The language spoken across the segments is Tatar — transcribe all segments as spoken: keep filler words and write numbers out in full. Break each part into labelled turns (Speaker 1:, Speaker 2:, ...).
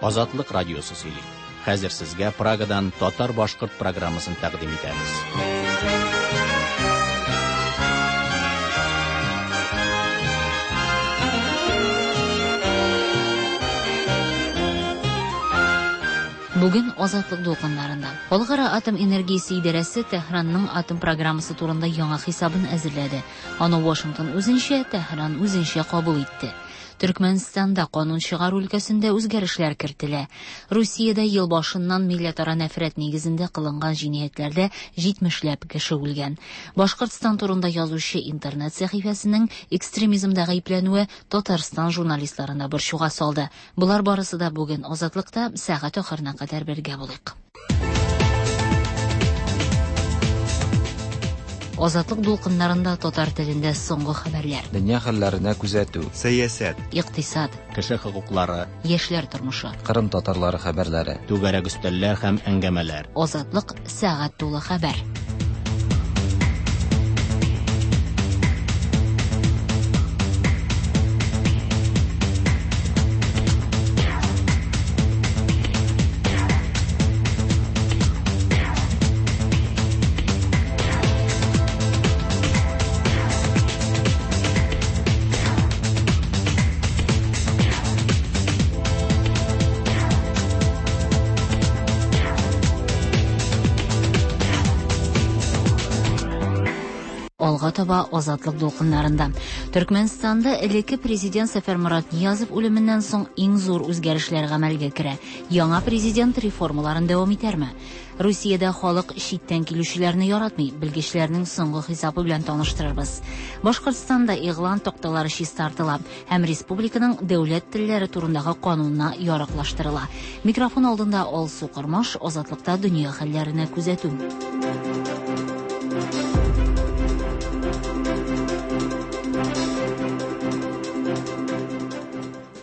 Speaker 1: Азатлык радиосы сөйли. Хәзер сезгә Прагадан татар-башкорт программасын тәкъдим итәбез.
Speaker 2: Бүген Азатлык дулкыннарында. Халыкара атом энергиясе идарәсе Тәһранның атом программасы турында яңа хисабын әзерләде. Аны Вашингтон үзенчә, Тәһран үзенчә кабул итте. Төркмәнстанда канун чыгару өлкәсендә үзгәрешләр кертелә. Русиядә ел башыннан милләтара нәфрәт нигезендә кылынган җинаятьләрдә җитмешләп кеше үлгән. Башкортстан турында язучы интернет сәхифәсенең экстремизмда гаепләнүе Татарстан журналистларын да борчуга салды. Болар барысы да бүген Азатлыкта сәгать ахырына кадәр бергә булыйк. Азатлык дулкыннарында татар телендә соңгы хәбәрләр.
Speaker 3: Дөнья хәлләренә күзәтү.
Speaker 4: Сәясәт.
Speaker 2: Икътисад.
Speaker 1: Кеше хокуклары.
Speaker 2: Яшьләр тормышы.
Speaker 3: Кырым татарлары хәбәрләре.
Speaker 1: Түгәрәк өстәлләр һәм әңгәмәләр.
Speaker 2: Азатлык сәгать тулы хәбәр. Алга таба Азатлык дулкыннарында. Төркмәнстанда элекке президент Сәфәрморат Ниязов үлеменнән соң иң зур үзгәрешләр гамәлгә керә. Яңа президент реформаларын дәвам итәрме? Русиядә халык читтән килүчеләрне яратмый. Белгечләрнең соңгы хисабы белән таныштырырбыз. Башкортстанда игълан такталары чистартыла һәм республиканың дәүләт телләре турындагы канунына яраклаштырыла. Микрофон алдында Алсу Кормаш, Азатлыкта дөнья хәлләренә күзәтү.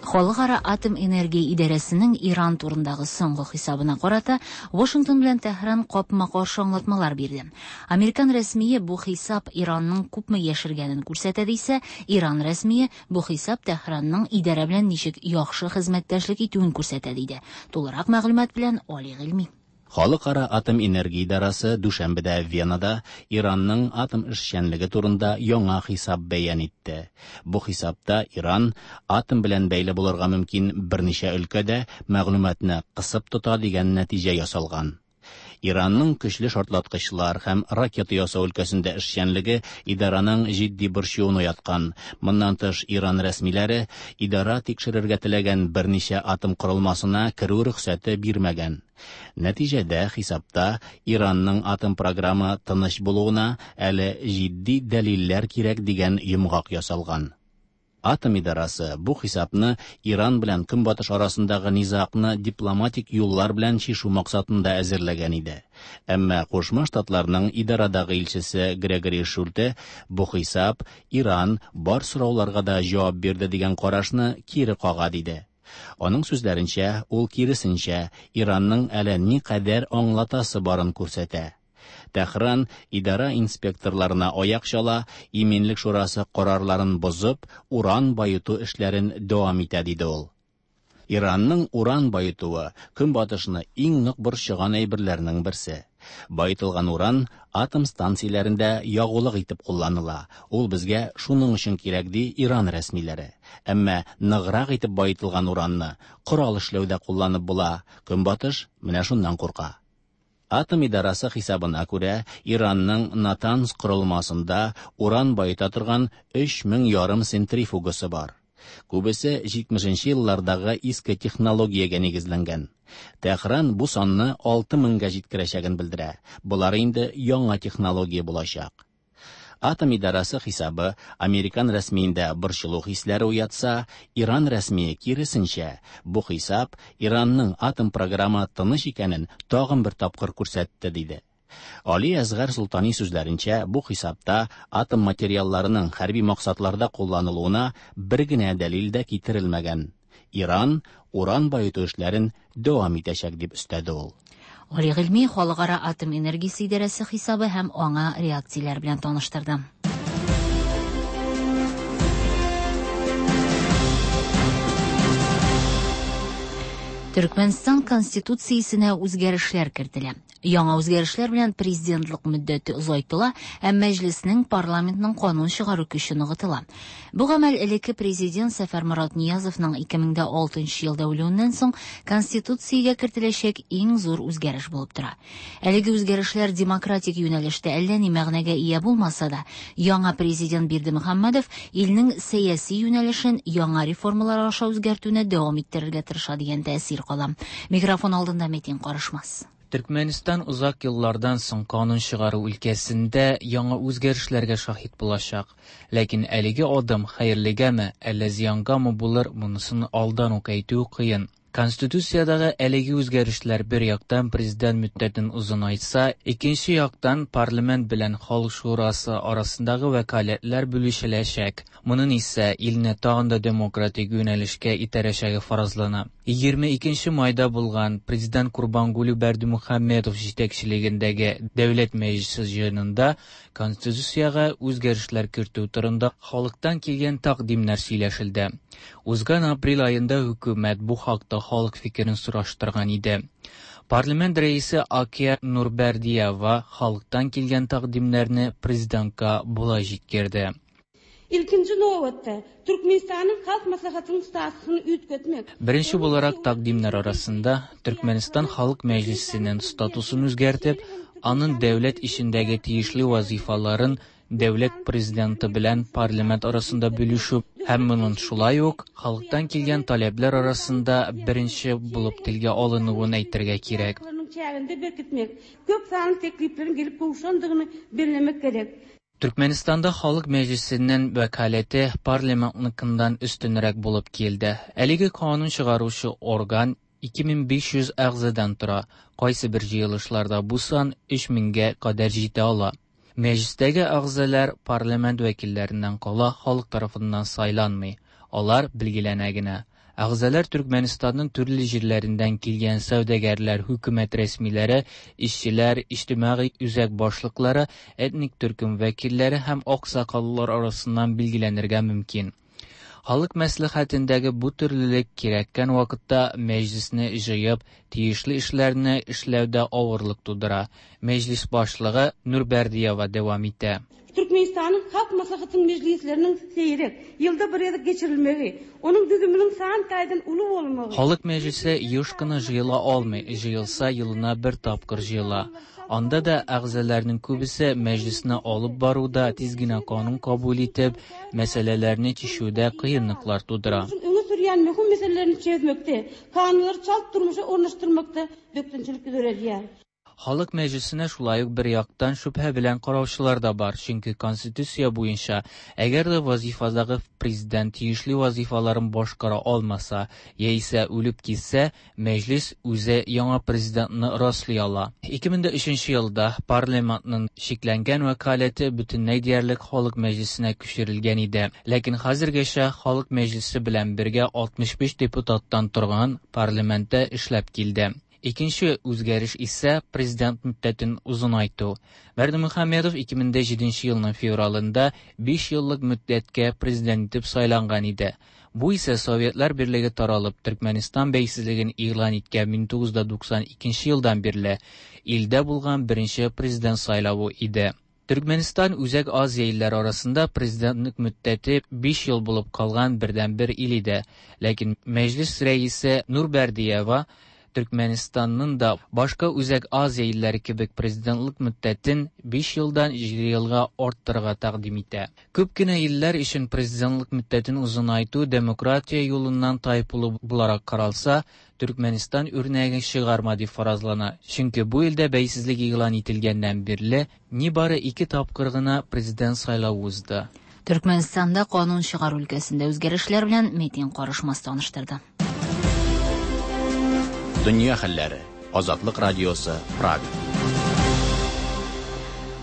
Speaker 2: Халыкара атом энергия идарәсенең Иран турындагы соңгы хисабына карата Вашингтон белән Тәһран капма-каршы аңлатмалар бирде. Американ рәсмие бу хисап Иранның күпме яшергәнен күрсәтә дисә, Иран рәсмие бу хисап Тәһранның идарә белән ничек яхшы хезмәттәшлек итүен күрсәтә диде. Тулырак мәгълүмат белән Али Гыйльми.
Speaker 1: Халыкара атом энергия идарәсе дүшәмбедә Венада Иранның атом эшчәнлеге турында яңа хисап бәян итте. Бу хисапта Иран атом белән бәйле булырга мөмкин берничә өлкәдә мәгълүматны кысып тота дигән нәтиҗә ясалган. Иранның көчле шартлаткычлар һәм ракета ясау өлкәсендә эшчәнлеге идараның җитди борчуын уяткан. Моннан тыш, Иран рәсмиләре идара тикшерергә теләгән берничә атом корылмасына керү рөхсәте бирмәгән. Нәтиҗәдә хисапта Иранның атом програмы тыныч булуына әле җитди дәлилләр кирәк дигән йомгак ясалган. Атом идарасы бу хисапны Иран белән Көнбатыш арасындагы низагны дипломатик юллар белән чишү максатында әзерләгән иде. Әмма Кушма Штатларның идарадагы илчесе Грегори Шульте бу хисап Иран бар сорауларга да җавап бирде дигән карашны кире кага диде. Аның сүзләренчә, ул киресенчә Иранның әле ни кадәр аңлатасы барын күрсәтә. Тәһран идара инспекторларына аяк чала, Иминлек шурасы карарларын бозып, уран баету эшләрен дәвам итә диде ул. Иранның уран баетуы Көнбатышны иң нык борчыган әйберләрнең берсе. Баетылган уран атом станцияләрендә ягулык итеп кулланыла. Ул безгә шуның өчен кирәк ди Иран рәсмиләре. Әмма ныграк итеп баетылган уранны корал эшләүдә кулланып була. Көнбатыш менә шуннан курка. Атом идарасы хисабына күрә, Иранның Натанз корылмасында уран баета торган өч мең ярым центрифугасы бар. Күбесе җитмешенче еллардагы иске технологиягә нигезләнгән. Тәһран бу санны алты меңгә җиткерәчәген белдерә. Болар инде яңа технология булачак. Атом идарасы хисабы американ рәсмиендә борчылу хисләре уятса, Иран рәсмие киресенчә, бу хисап Иранның атом програмы тыныч икәнен тагын бер тапкыр күрсәтте диде. Али Әсгар Солтани сүзләренчә, бу хисапта атом материалларының хәрби максатларда кулланылуына бер генә дәлил дә китерелмәгән. Иран уран баету эшләрен дәвам итәчәк дип өстәде ул.
Speaker 2: Али Гыйльми Халыкара атом энергиясе идарәсе хисабы һәм аңа реакцияләр белән таныштырды. Төркмәнстан Конституциясенә үзгәрешләр кертелә. Яңа үзгәрешләр белән президентлык мөддәте озайтыла һәм мәҗлеснең, парламентның канун чыгару көче ныгытыла. Бу гамәл элекке президент Сәфәрморат Ниязовның ике мең дә алтынчы елда үлүеннән соң Конституциягә кертеләчәк иң зур үзгәреш булып тора. Әлеге үзгәрешләр демократик юнәлештә әллә ни мәгънәгә ия булмаса да, яңа президент Бердымөхәммәдов илнең сәяси юнәлешен яңа реформалар аша үзгәртүне дәвам иттерергә тырыша дигән тәэсир кала. Микрофон алдында Метин Карышмас.
Speaker 4: Төркмәнстан узак еллардан соң канун чыгару өлкәсендә яңа үзгәрешләргә шаһит булачак. Ләкин әлеге адым хәерлегәме, әллә зыянгамы булыр, монысын алдан ук әйтү кыен. Конституциядагы әлеге үзгәрешләр бер яктан президент мөддәтен озынайтса, икенче яктан парламент белән Халык шурасы арасындагы вәкаләтләр бүлешеләчәк. Моның исә илне тагын да демократик юнәлешкә итәрәчәге фаразлана. Егерме икенче майда булган президент Курбангулы Бердымөхәммәдов җитәкчелегендәге Дәүләт Мәҗлесе җыенында Конституциягә үзгәрешләр кертү турында халыктан килгән тәкъдимнәр сөйләшелде. Узган апрель аенда хөкүмәт бу хакта халык фикерен сораштырган иде. Парламент рәисе Акия Нурбердиева халыктан килгән тәкъдимнәрне президентка болай җиткерде.
Speaker 5: Ilkinci nobatda Türkmenistan'ın Halk Maslahatynyň statusyny üýtgetmek.
Speaker 4: Беренче буларак тәкъдимнәр арасында Türkmenistan Халык Мәҗлисенең статусын үзгәртеп, аның дәүләт эшендәге тиешле вазифаларын дәүләт президенты белән парламент арасында бүлешү һәм моның шулай ук халыктан килгән таләпләр арасында беренче булып телгә алынуын әйтергә кирәк.
Speaker 5: Köp sanly teklipleriň gelip gowşandygyny bellemek gerek.
Speaker 4: Türkmenistanda Халык Мәҗлисенең вәкаләте парламентныкындан өстенрәк булып килде. Әлеге канун чыгаручы орган ике мең биш йөз әгъзадан тора. Кайсы бер җыелышларда бу сан өч меңгә кадәр җитә ала. Мәҗлистәге әгъзалар парламент вәкилләреннән кала халык тарафыннан сайланмый. Алар билгеләнә генә. Әгъзалар Türkmenistanның төрле җирләреннән килгән сәүдәгәрләр, хөкүмәт рәсмиләре, эшчеләр, иҗтимагый үзәк башлыклары, этник төркем вәкилләре һәм аксакаллар арасыннан билгеләнергә мөмкин. Халык мәслихәтендәге бу төрлелек кирәккән вакытта мәҗлисне җыеп, тиешле эшләрне эшләүдә авырлык тудыра. Мәҗлис башлыгы Нурбердиева дәвам итә.
Speaker 5: Türkmenistan'ın Halk Maslahatynyň mejlisleriniň seýrek ýylda bir gezek geçirilmegi, onuň düzüminiň san taýdan uly bolmagy.
Speaker 4: Халык мәҗлисе еш кына җыела алмый, җыелса елына бер тапкыр җыела. Анда да әгъзаларның күбесе мәҗлисне алып баруда тиз генә канун кабул итеп, мәсьәләләрне чишүдә кыенлыклар тудыра.
Speaker 5: Öňe sürýän möhüm meselelerini çözmekde, kanunlary çalt durmuşa ornaşdyrmakda bökdençilik döredýär.
Speaker 4: Халык мәҗлисенә шулай ук бер яктан шөбһә белән караучылар да бар, чөнки Конституция буенча, әгәр дә вазифадагы президент тиешле вазифаларын башкара алмаса, яисә үлеп китсә, мәҗлис үзе яңа президентны раслый ала. Ике мең дә өченче елда парламентның чикләнгән вәкаләте бөтенләй диярлек Халык мәҗлисенә күчерелгән иде. Ләкин хәзергәчә Халык мәҗлисе белән бергә алтмыш биш депутаттан торган парламентта эшләп килде. Икенче үзгәреш исә президент мөддәтен озынайту. Бердымөхәммәдов ике мең дә җиденче елның февралында биш еллык мөддәткә президент итеп сайланган иде. Бу исә Советлар Берлеге таралып, Төркмәнстан бәйсезлеген игълан иткән мең тугыз йөз туксан икенче елдан бирле илдә булган беренче президент сайлавы иде. Төркмәнстан Үзәк Азия илләре арасында президентлык мөддәте биш ел булып калган бердәнбер ил иде. Ләкин мәҗлис рәисе Нурбердиева Төркмәнстанның да башка Үзәк Азия илләре кебек президентлык мөддәтен биш елдан җиде елга арттырырга тәкъдим итә. Күп кенә илләр өчен президентлык мөддәтен озынайту демократия юлыннан тайпылу буларак каралса, Төркмәнстан үрнәген чыгарма дип фаразлана. Чөнки бу илдә бәйсезлек игълан ителгәннән бирле нибары ике тапкыр гына президент сайлавы узды.
Speaker 2: Төркмәнстанда канун чыгару өлкәсендә үзгәрешләр белән Метин Карышмас таныштырды.
Speaker 1: Дөнья хәлләре. Азатлык радиосы, Прага.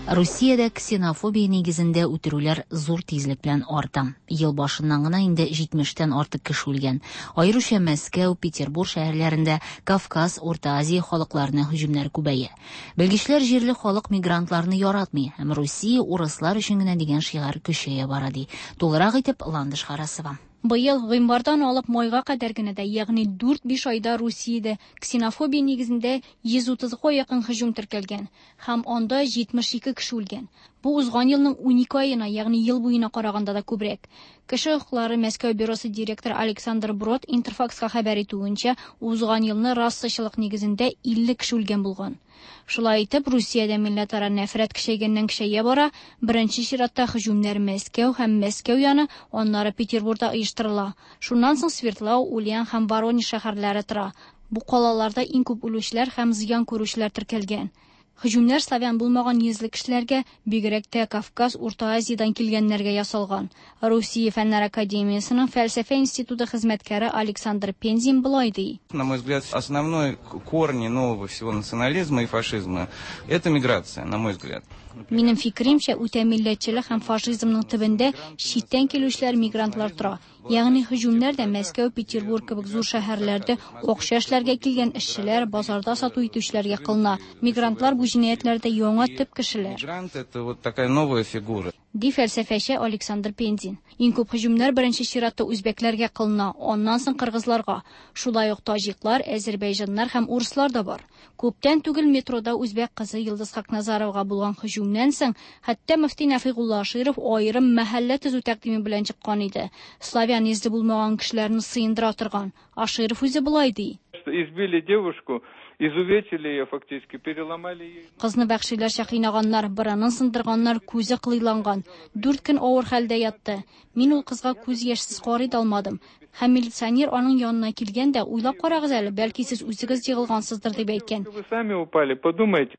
Speaker 2: Русиядә ксенофобия нигезендә үтерүләр зур тизлек белән арта. Ел башыннан гына инде җитмештән артык кеше үлгән. Аеруча Мәскәү, Петербург шәһәрләрендә Кавказ, Урта Азия халыкларына һөҗүмнәр күбәя. Белгечләр җирле халык мигрантларны яратмый һәм Русия урыслар өчен генә дигән шигарь көчәя бара ди. Тулырак итеп Ландыш Харасова.
Speaker 6: Быел гыйнвардан алып майга кадәр генә дә, ягъни дүрт-биш айда Русиядә ксенофобия нигезендә йөз утызга якын һөҗүм теркәлгән һәм анда җитмеш ике кеше үлгән. Бу узган елның унике аена, ягъни ел буена караганда да күбрәк. Кеше хокуклары Мәскәү бюросы директоры Александр Брод Интерфакска хәбәр итүенчә, узган елны расачылык нигезендә илле кеше үлгән булган. Шулай итеп, Русиядә милләтара нәфрәт көчәйгәннән көчәя бара. Беренче чиратта һөҗүмнәр Мәскәү һәм Мәскәү яны, аннары Петербургда оештырыла. Шуннан соң Свердлау, Ульян һәм Воронеж шәһәрләре тора. Бу калаларда иң күп үлүчеләр һәм зыян күрүчеләр теркәлгән. Һөҗүмнәр славян булмаган йөзле кешеләргә, бигрәк тә Кавказ, Урта Азиядән килгәннәргә ясалган. Русия Фәннәр академиясенең фәлсәфә институты хезмәткәре Александр Пензин болай ди.
Speaker 7: На мой взгляд, основной корни нового всего национализма и фашизма – это миграция, на мой взгляд.
Speaker 6: Минем фикеремчә, үтә милләтчелек һәм фашизмның төбендә читтән килүчеләр, мигрантлар тора. Ягъни һөҗүмнәр дә Мәскәү, Петербург кебек зур шәһәрләрдә акча эшләргә килгән эшчеләр, базарда сату итүчеләргә кылына. Мигрантлар бу җинаятьләрдә яңа төп кешеләр.
Speaker 7: Мигрант – это вот такая новая фигура.
Speaker 6: Ди фәлсәфәче Александр Пензин. Иң күп һөҗүмнәр беренче чиратта үзбәкләргә кылына, аннан соң кыргызларга. Шулай ук таҗиклар, әзербайҗаннар һәм урыслар да бар. Күптән түгел метрода үзбәк кызы Йылдыз Хакназаровага булган һөҗүмнән соң, хәтта мөфти Нәфигулла Аширов аерым мәхәллә төзү тәкъдиме белән чыккан иде. Славян йөзле булмаган кешеләрне сыендыра торган. Аширов үзе болай ди.
Speaker 8: Избили девушку, изувечили ее фактически, переломали ей.
Speaker 6: Кызны вәхшиләрчә кыйнаганнар, борынын сындырганнар, күзе кылыйланган. Дүрт көн авыр хәлдә ятты. Мин ул кызга күз яшьсез карый да алмадым. Һәм милиционер аның янына килгән дә, уйлап карагыз әле, бәлки сез үзегез егылгансыздыр дип әйткән.
Speaker 8: Вы сами упали, подумайте.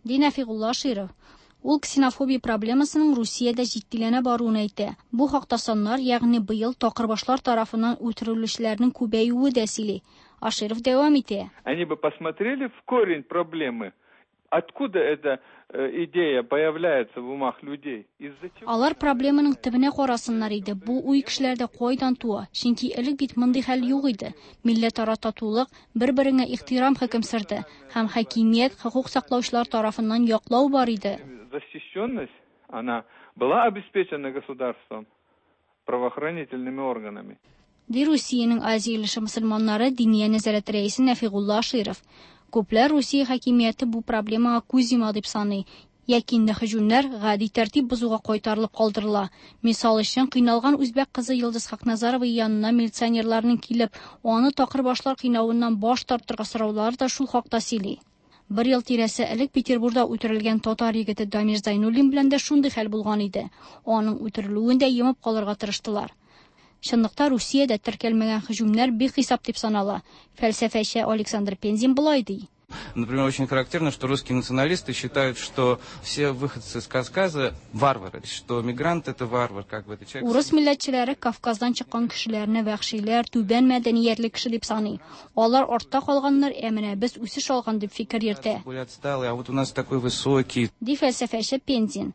Speaker 6: Ди Нәфигулла Аширов. Ул ксенофобия проблемасының Русиядә җитдиләнә баруын әйтә. Бу хакта саннар, ягъни быел такырбашлар тарафыннан үтерелүчеләрнең күбәюе дә сөйли. Аширов дәвам итә.
Speaker 8: Они бы посмотрели в корень проблемы. Откуда эта, э, идея появляется в умах людей? Из-за чего?
Speaker 6: Алар проблеманың төбенә карасыннар иде. Бу уй кешеләрдә кайдан туа? Чөнки элек бит мондый хәл юк иде. Милләтара татулык, бер-береңә ихтирам хөкем сөрде һәм хакимият хокук саклаучылар тарафыннан яклау бар иде.
Speaker 8: Защищенность, она была обеспечена государством, правоохранительными органами.
Speaker 6: Ди Русиянең Азия өлеше мөселманнары Диния нәзарәте рәисе Нәфигулла Аширов. Күпләр Русия хакимияте бу проблемага күз йома дип саный. Яки инде һөҗүмнәр гади тәртип бозуга кайтарылып калдырыла. Мисал өчен, кыйналган үзбәк кызы Йылдыз Хакназарова янына милиционерларның килеп, аны такырбашлар кыйнавыннан баш тартырга сораулары да шул хакта сөйли. Бер ел тирәсе элек Петербургда үтерелгән татар егете Дамир Зайнуллин белән дә шундый хәл булган иде. Аның үтерелүен дә йомып калырга тырыштылар. Чынлыкта Русиядә теркәлмәгән һөҗүмнәр бихисап дип санала. Фәлсәфәче Александр Пензин болай ди.
Speaker 7: Например, очень характерно, что русские националисты считают, что все выходцы с Кавказа варвары, что мигрант это варвар, как бы это человек.
Speaker 6: Урыс милләтчеләре Кавказдан чыккан кешеләрне вәхшиләр, түбән мәдәниятле кеше дип саный. Алар артта калганнар, ә менә без үсеш алган дип фикер йөртә.
Speaker 7: Более отсталые, а вот у нас такой высокий.
Speaker 6: Ди фәлсәфәче Пензин.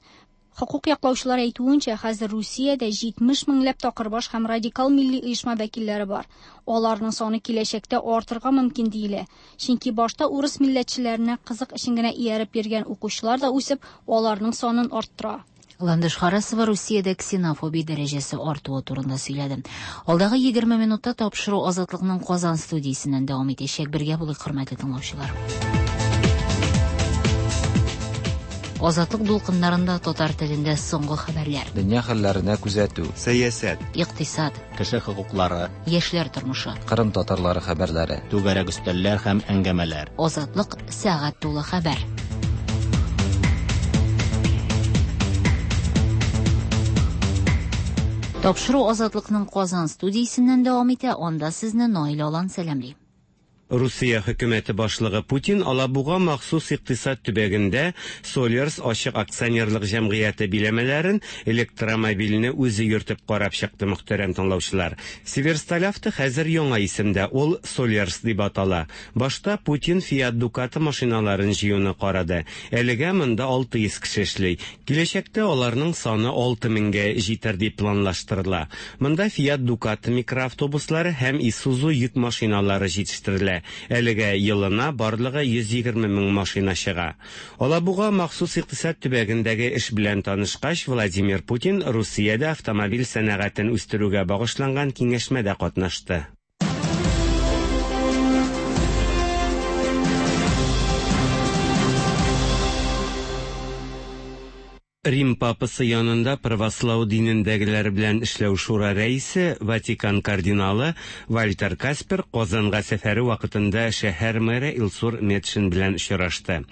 Speaker 6: Хокук яклаучылар әйтүенчә, хәзер Русиядә җитмеш меңләп такырбаш һәм радикал милли оешма вәкилләре бар. Аларның саны киләчәктә артырга мөмкин диелә. Чөнки башта урыс милләтчеләренә кызык өчен генә ияреп йөргән укучылар да үсеп, аларның санын арттыра.
Speaker 2: Ландыш Харасова Русиядә ксенофобия дәрәҗәсе артуы турында сөйләде. Алдагы егерме минутта тапшыру Азатлыкның Казан студиясеннән дәвам итәчәк. Бергә булыйк, хөрмәтле тыңлаучылар. Азатлык дулкыннарында татар телендә соңгы хәбәрләр.
Speaker 3: Дөнья хәлләренә күзәтү.
Speaker 9: Сәясәт.
Speaker 2: Икътисад.
Speaker 1: Кеше хокуклары.
Speaker 2: Яшьләр тормышы.
Speaker 3: Кырым татарлары хәбәрләре.
Speaker 1: Түгәрәк өстәлләр һәм әңгәмәләр.
Speaker 2: Азатлык сәгать тулы хәбәр. Тапшыру Азатлыкның Казан студиясеннән дәвам итә. Анда сезне Наил Алан сәламли.
Speaker 10: Русия хөкүмәте башлыгы Путин Алабуга махсус икътисад төбәгендә Солерс ачык акционерлык җәмгыяте биләмәләрен электромобильне үзе йөртеп карап чыкты, мөхтәрәм тыңлаучылар. Северсталь-Авто хәзер яңа исемдә, ул Солерс дип атала. Башта Путин Fiat Ducato машиналарын җыюны карады. Әлегә монда алты йөз кеше эшли. Киләчәктә аларның саны алты меңгә җитәр дип планлаштырыла. Монда Fiat Ducato микроавтобуслары һәм Isuzu йөк машиналары җитештерелә. Әлегә елына барлыгы йөз егерме мең машина чыга. Алабуга махсус икътисад төбәгендәге эш белән танышкач, Владимир Путин Русиядә автомобиль сәнәгатен үстерүгә багышланган киңәшмәдә катнашты. Рим папасы янында правослау динендәгеләр белән эшләү шура рәисе, Ватикан кардиналы Вальтер Каспер Казанга сәфәре вакытында шәһәр мэры Илсур Метшин белән очрашты.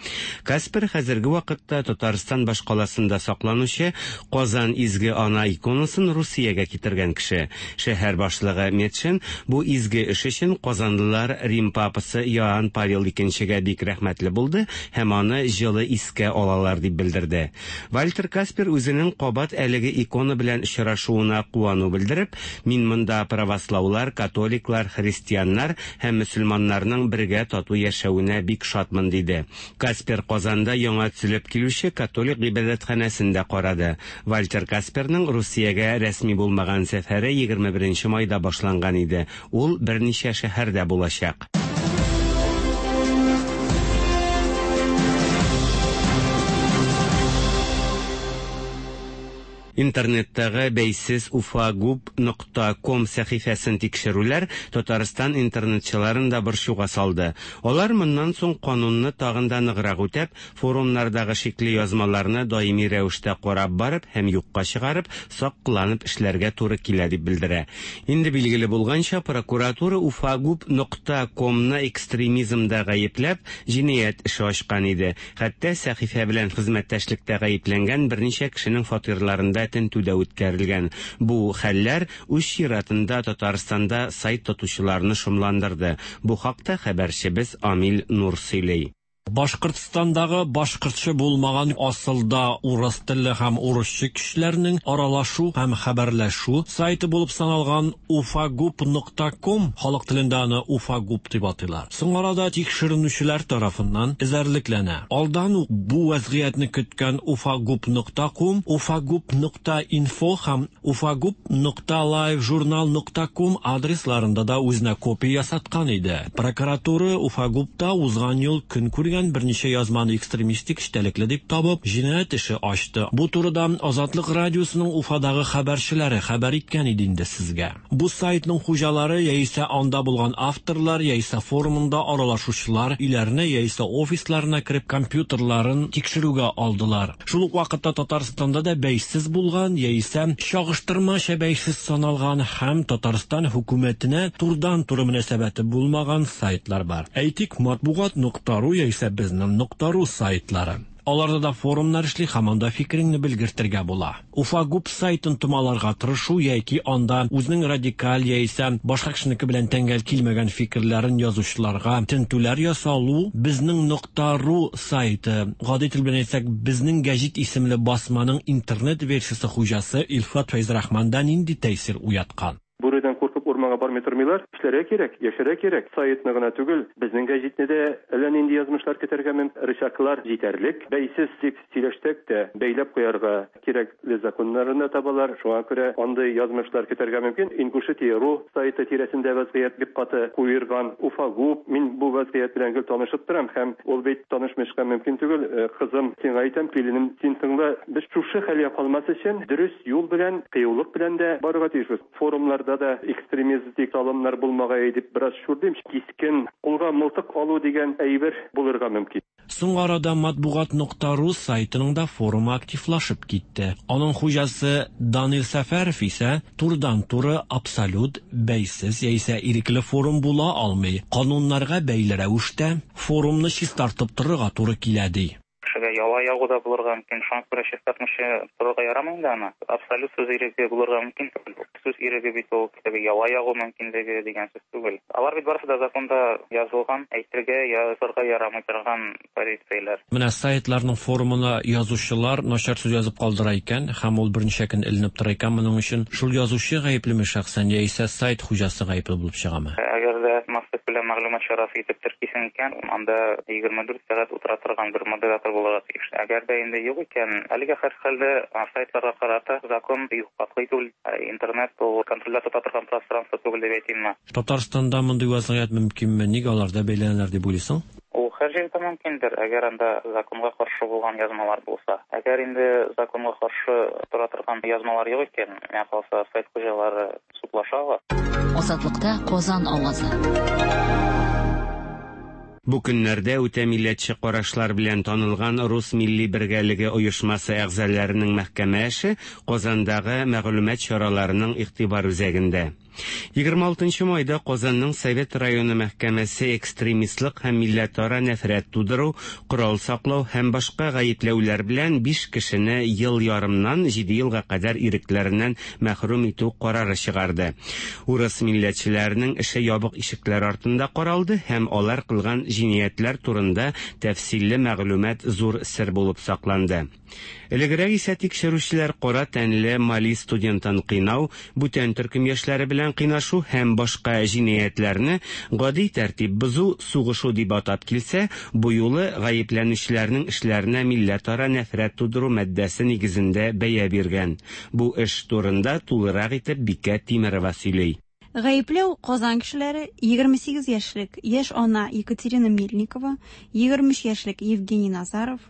Speaker 10: Каспер хәзерге вакытта Татарстан башкаласында сакланучы Казан изге ана иконасын Русиягә китергән кеше. Шәһәр башлыгы Метшин бу изге эш өчен казанлылар Рим папасы Иоанн Павел икенчегә бик рәхмәтле булды һәм аны җылы искә алалар дип белдерде. Вальтер Каспер үзенең кабат әлеге икона белән очрашуына куану белдереп, мин монда правослаулар, католиклар, христианнар һәм мөселманнарның бергә тату яшәвенә бик шатмын, диде. Каспер Казанда яңа төзелеп килүче католик гыйбадәтханәсен дә карады. Вальтер Касперның Русиягә рәсми булмаган сәфәре егерме беренче майда башланган иде. Ул берничә шәһәрдә булачак. Интернеттагы бәйсез уфагуб нокта ком сәхифәсен тикшерүләр Татарстан интернетчыларын да борчуга салды. Алар моннан соң канунны тагын да ныграк үтәп, форумнардагы шикле язмаларны даими рәвештә карап барып һәм юкка чыгарып, сак кыланып эшләргә туры килә дип белдерә. Инде билгеле булганча, прокуратура уфагуб нокта комны экстремизмда гаепләп, җинаять эше ачкан иде. Хәтта сәхифә белән хезмәттәшлектә гаепләнгән берничә кешенең фатирларында тентү дә үткәрелгән. Бу хәлләр үз чиратында Татарстанда сайт тотучыларны шомландырды. Бу хакта хәбәрчебез Амил Нур сөйли.
Speaker 9: Башкортстандагы башкортча булмаган асылда урыс телле һәм урысча кешеләрнең аралашу һәм хәбәрләшү сайты булып саналган уфагуб нокта ком, халык телендә аны уфагуб дип атыйлар. Соң арада тикшеренүчеләр тарафыннан эзәрлекләнә. Алдан ук бу вазгыятьне көткән уфагуб нокта ком, уфагуб нокта инфо һәм уфагуб нокта лайв журнал нокта ком адресларында да үзенә копия ясаткан иде. Прокуратура уфагубта узган ел көн күргән берничә язманы экстремистик эчтәлекле дип табып, җинаять эше ачты. Бу турыда Азатлык радиосының Уфадагы хәбәрчеләре хәбәр иткән иде инде сезгә. Бу сайтның хуҗалары яисә анда булган авторлар, яисә форумында аралашучылар өйләренә яисә офисларына кереп компьютерларын тикшерүгә алдылар. Шул ук вакытта Татарстанда да бәйсез булган яисә чагыштырмача бәйсез саналган һәм Татарстан хөкүмәтенә турыдан-туры мөнәсәбәте булмаган сайтлар бар. Әйтик, матбугат нокта ру яисә безнең нокта ру сайтлары. Аларда да форумнар эшли һәм анда фикереңне белгертергә була. Уфагуб сайтын томаларга тырышу яки анда үзенең радикаль яисә башка кешенеке белән тәңгәл килмәгән фикерләрен язучыларга тентүләр ясалу безнең нокта ру сайты, гади тел белән әйтсәк, безнең гәҗит исемле басманың интернет версиясе хуҗасы Илфат Фәйзрахманда нинди тәэсир уяткан?
Speaker 11: Бүредән куркып урманга бармый тормыйлар. Эшләргә кирәк, яшәргә кирәк. Сайтны гына түгел, безнең гәҗитне дә әллә нинди язмышлар көтәргә мөмкин. Рычаглар җитәрлек. Бәйсез дип сөйләштек тә, бәйләп куярга кирәкле законнарны табалар. Шуңа күрә андый язмышлар көтәргә мөмкин. Ингушетия ру сайты тирәсендә вазгыять бик каты куерган. Уфагуб, мин бу вазгыять белән гел танышып торам һәм ул бит танышмышка мөмкин түгел. Кызым, сиңа әйтәм, киленем, син тыңла. Без шушы хәлгә калмас өчен дөрес юл белән, кыюлык белән дә барырга тиешбез. Форумнарда да экстремистик алымнар булмагай дип бераз шүрлим. Кискен кулга мылтык алу дигән әйбер булырга мөмкин.
Speaker 9: Соң арада матбугат нокта ру сайтының да форумы активлашып китте. Аның хуҗасы Данил Сәфәров исә турыдан-туры абсолют бәйсез яисә ирекле форум була алмый. Кануннарга бәйле рәвештә форумны чистартып торырга туры килә, ди.
Speaker 12: Кешегә яла ягу да булырга мөмкин, шуңа күрә чистартмыйча торырга ярамый инде аны. Абсолют сүз иреге булырга мөмкин. Сүз иреге бит ул теге яла ягу мөмкинлеге дигән сүз түгел. Алар бит барысы да законда язылган, әйтергә, язырга ярамый торган полицияләр.
Speaker 9: Менә сайтларның форумына язучылар начар сүз язып калдыра икән, һәм ул берничә көн эленеп тора икән, моның өчен шул язучы гаеплеме шәхсән яисә сайт хуҗасы гаепле булып чыгамы?
Speaker 12: Әгәр дә массакүләм мәгълүмат чарасы итеп теркисең икән, анда егерме дүрт сәгать утыра торган бер модератор булырга тиеш. Әгәр дә инде юк икән, әлегә һәрхәлдә сайтларга карата закон бик катгый түгел. Интернет ул контрольдә тота торган пространство түгел дип әйтимме.
Speaker 9: Татарстанда мондый вазгыять мөмкинме? Нигә аларда бәйләнәләр дип уйлыйсың?
Speaker 12: Ул һәр җирдә мөмкиндер, әгәр анда законга каршы булган язмалар булса. Әгәр инде законга каршы тора торган язмалар юк икән, миңа калса, сайт хуҗалары судлаша ала.
Speaker 2: Азатлыкта Казан авазы.
Speaker 10: Бу көннәрдә үтә милләтче карашлар белән танылган Рус милли бергәлеге оешмасы әгъзаларының мәхкәмә эше Казандагы мәгълүмат чараларының игътибар үзәгендә. Егерме алтынчы майда Казанның Совет районы мәхкәмәсе экстремистлык һәм милләтара нәфрәт тудыру, корал саклау һәм башка гаепләүләр белән биш кешене ел ярымнан җиде елга кадәр ирекләреннән мәхрүм итү карары чыгарды. Урыс милләтчеләренең эше ябык ишекләр артында каралды һәм алар кылган җинаятьләр турында тәфсилле мәгълүмат зур сер булып сакланды. Элегрәк исә тикшерүчеләр кара тәнле Мали студентын кыйнау, бүтән төркем яшьләре белән кыйнашу һәм башка җинаятьләрне гади тәртип бозу, сугышу дип атап килсә, бу юлы гаепләнүчеләрнең эшләренә милләтара нәфрәт тудыру маддәсе нигезендә бәя биргән. Бу эш турында тулырак итеп Бикә Тимерова сөйли.
Speaker 13: Гаепләү Казан кешеләре егерме сигез яшьлек яшь ана Екатерина Мельникова, егерме өч яшьлек Евгений Назаров,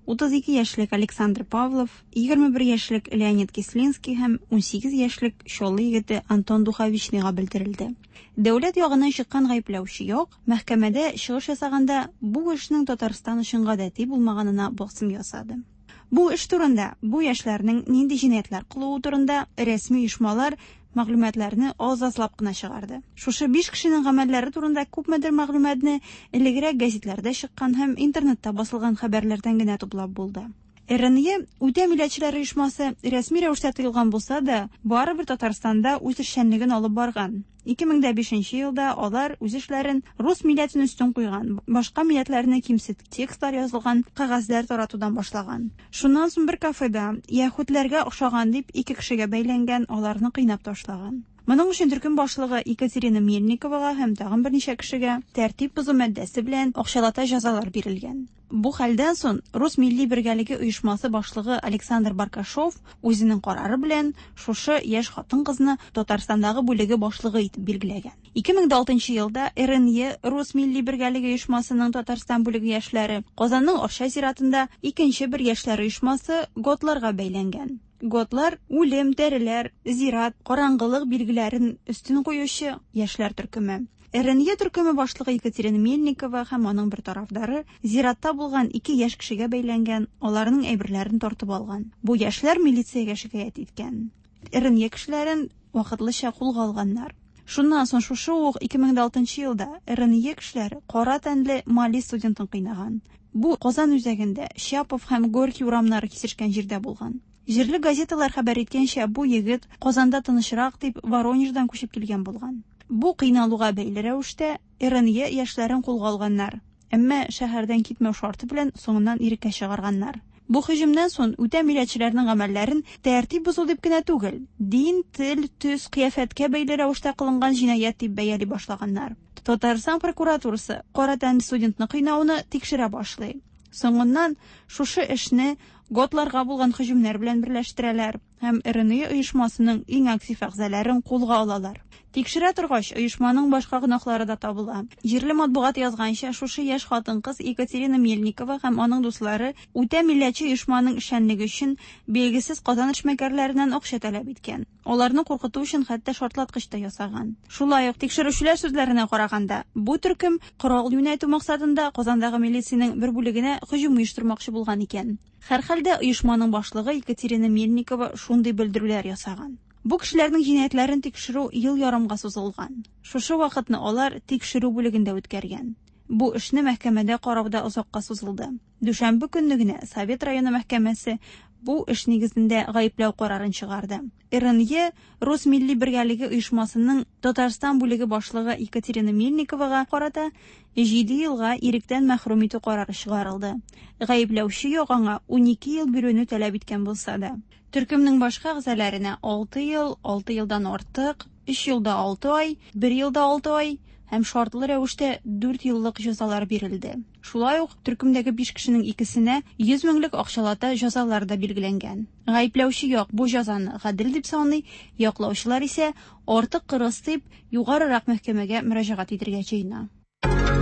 Speaker 13: утыз ике яшьлек Александр Павлов, егерме бер яшьлек Леонид Кислинский һәм унсигез яшьлек Чаллы егете Антон Духовичныйга белдерелде. Дәүләт ягыннан чыккан гаепләүче як мәхкәмәдә чыгыш ясаганда бу эшнең Татарстан өчен гадәти булмаганына басым ясады. Бу эш турында, бу яшьләрнең нинди җинаятьләр кылуы турында рәсми оешмалар мәгълүматларны аз-азлап кына чыгарды. Шушы биш кешенең гамәлләре турында күпмедер мәгълүматны элегрәк гәзитләрдә чыккан һәм интернетта басылган хәбәрләрдән генә туплап булды. Р Н Е үтә милләтчеләр оешмасы рәсми рәвештә тыелган булса да, барыбер Татарстанда үз эшчәнлеген алып барган. Ике мең дә бишенче елда алар үз эшләрен рус милләтен өстен куйган, башка милләтләрне кимсетеп текстлар язылган кәгазьләр таратудан башлаган. Шуннан соң бер кафеда яһүдләргә охшаган дип ике кешегә бәйләнгән, аларны кыйнап ташлаган. Моның өчен төркем башлыгы Екатерина Мельниковага һәм тагын берничә кешегә тәртип бозу маддәсе белән акчалата җәзалар бирелгән. Бу хәлдән соң Рус милли бергәлеге оешмасы башлыгы Александр Баркашов үзенең карары белән шушы яшь хатын-кызны Татарстандагы бүлеге башлыгы итеп билгеләгән. Ике мең дә алтынчы елда Р Н Е Рус милли бергәлеге оешмасының Татарстан бүлеге яшьләре Казанның Арча зиратында икенче бер яшьләр оешмасы Готларга бәйләнгән. Готлар үлем, тәреләр, зират, караңгылык билгеләрен өстен куючы яшьләр төркеме. Р Н Е төркеме башлыгы Екатерина Мельникова һәм аның бер тарафдары зиратта булган ике яшь кешегә бәйләнгән, аларның әйберләрен тартып алган. Бу яшьләр милициягә шикаять иткән. Р Н Е кешеләрен вакытлыча кулга алганнар. Шуннан соң шушы ук ике мең дә алтынчы елда Р Н Е кешеләре кара тәнле Мали студентын кыйнаган. Бу Казан үзәгендә Щапов һәм Горький урамнары кисешкән җирдә булган. Җирле газеталар хәбәр иткәнчә, бу егет Казанда тынычрак дип Воронеждан күчеп килгән булган. Бу кыйналуга бәйле рәвештә Р Н Е яшьләрен кулга алганнар, әмма шәһәрдән китмәү шарты белән соңыннан иреккә чыгарганнар. Бу һөҗүмнән соң үтә милләтчеләрнең гамәлләрен тәртип бозу дип кенә түгел, дин, тел, төс, кыяфәткә бәйле рәвештә кылынган җинаять дип бәяли башлаганнар. Татарстан прокуратурасы кара тәнле студентны кыйнауны тикшерә башлый. Соңыннан шушы эшне готларга булган һөҗүмнәр белән берләштерәләр һәм Р Н Е оешмасының иң актив әгъзаларын кулга алалар. Тикшерә торгач, оешманың башка гөнаһлары да табыла. Җирле матбугат язганча, шушы яшь хатын-кыз Екатерина Мельникова һәм аның дуслары үтә милләтче оешманың эшчәнлеге өчен билгесез Казан эшмәкәрләреннән акча таләп иткән. Аларны куркыту өчен хәтта шартлаткыч та ясаган. Шулай ук тикшерүчеләр сүзләренә караганда, бу төркем корал юнәтү максатында Казандагы милициянең бер бүлегенә һөҗүм оештырмакчы булган икән. Һәрхәлдә оешманың башлыгы Екатерина Мельникова шундый белдерүләр ясаган. Бу кешеләрнең җинаятьләрен тикшерү ел ярымга сузылган. Шушы вакытны алар тикшерү бүлегендә үткәргән. Бу эшне мәхкәмәдә карау да озакка сузылды. Дүшәмбе көнне генә Совет районы мәхкәмәсе бу эш нигезендә гаепләү карарын чыгарды. Р Н Е Рус милли бергәлеге оешмасының Татарстан бүлеге башлыгы Екатерина Мельниковага карата җиде елга иректән мәхрүм итү карары чыгарылды. Гаепләүче як аңа унике ел бирүне таләп иткән булса да, төркемнең башка әгъзаларына алты ел, алты елдан артык, өч ел да алты ай, бер ел да алты ай һәм шартлы рәвештә дүрт еллык җәзалар бирелде. Шулай ук төркемдәге биш кешенең икесенә йөз меңлек акчалата җәзалар да билгеләнгән. Гаепләүче як бу җәзаны гадел дип саный, яклаучылар исә артык кырыс дип югарырак мәхкәмәгә мөрәҗәгать итәргә җыена.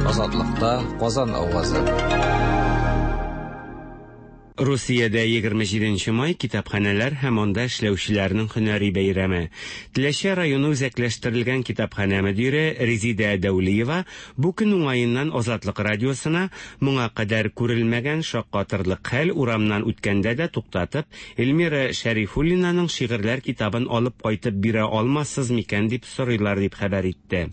Speaker 3: Азатлыкта Казан авазы.
Speaker 10: Русиядә егерме җиденче май китапханәләр һәм анда эшләүчеләрнең һөнәри бәйрәме. Теләче районы үзәкләштерелгән китапханә мөдире Резидә Дәүлиева бу көн уңаеннан Азатлык радиосына моңа кадәр күрелмәгән шаккатырлык хәл урамнан үткәндә дә туктатып, Эльмира Шәрифуллинаның шигырьләр китабын алып кайтып бирә алмассыз микән дип сорыйлар дип хәбәр итте.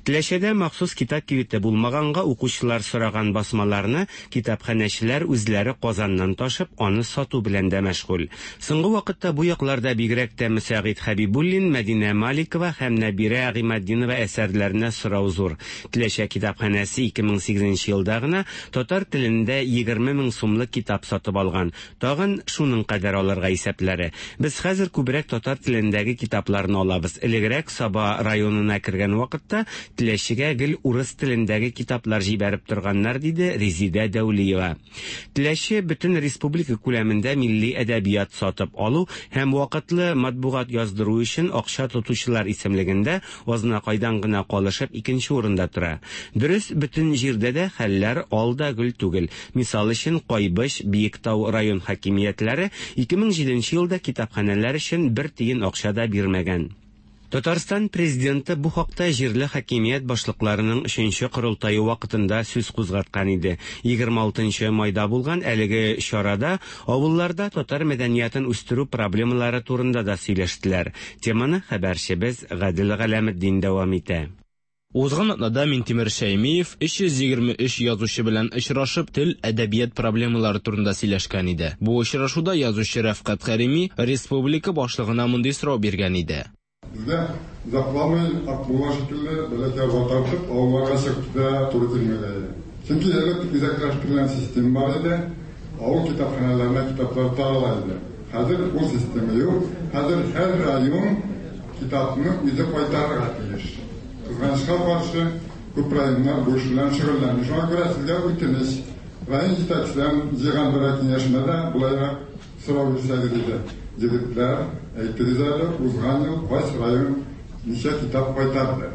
Speaker 10: Теләчедә махсус китап кибете булмаганга укучылар сораган басмаларны китапханәчеләр үзләре Казаннан ташып, аны сату белән дә мәшгуль. Соңгы вакытта бу якларда бигрәк тә Мөсәгыйт Хәбибуллин, Мәдинә Маликова һәм Нәбирә Гыйматдинова әсәрләренә сорау зур. Теләчә китапханәсе ике мең сигезенче елда гына татар телендә егерме мең сумлык китап сатып алган. Тагын шуның кадәр алырга исәпләре. Без хәзер күбрәк татар телендәге китапларны алабыз. Элегрәк Саба районына кергән вакытта Теләчегә гел урыс телендәге китаплар җибәреп торганнар, диде Резидә Дәүлиева. Теләче бөтен республика күләмендә милли әдәбият сатып алу һәм вакытлы матбугат яздыру өчен акча тотучылар исемлегендә Азнакайдан гына калышып икенче урында тора. Дөрес, бөтен җирдә дә хәлләр ал да гөл түгел. Мисал өчен, Кайбыч, Биектау район хакимиятләре ике мең җиденче елда китапханәләр өчен бер тиен акча да бирмәгән. Татарстан президенты бу хакта җирле хакимият башлыкларының өченче корылтае вакытында сүз кузгаткан иде. Егерме алтынчы майда булган әлеге чарада авылларда татар мәдәниятен үстерү проблемалары турында да сөйләштеләр. Теманы хәбәрчебез Гадел Галәметдин дәвам итә.
Speaker 14: Узган атнада Минтимер Шәймиев өч йөз егерме өч язучы белән очрашып, тел, әдәбият проблемалары турында сөйләшкән иде. Бу очрашуда язучы Рәфкать Кәрими республика башлыгына мондый сорау биргән иде.
Speaker 15: Безгә озакламый Акмулла шикелле бәләкәй арба тартып авылларга чыгып китә туры килмәгәе. Чөнки элек үзәкләштерелгән система бар иде, авыл китапханәләренә китаплар тарала иде. Хәзер ул система юк. Хәзер һәр район китапны үзе кайтарырга тиеш. Кызганычка каршы, күп районнар бу эш белән шөгыльләнми. Шуңа күрә сезгә үтенеч, район җитәкчеләрен җыйган бер киңәшмәдә болайрак сорау бирсәгез иде. Егетләр, әйтегез әле, узган ел кайсы район ничә китап кайтарды?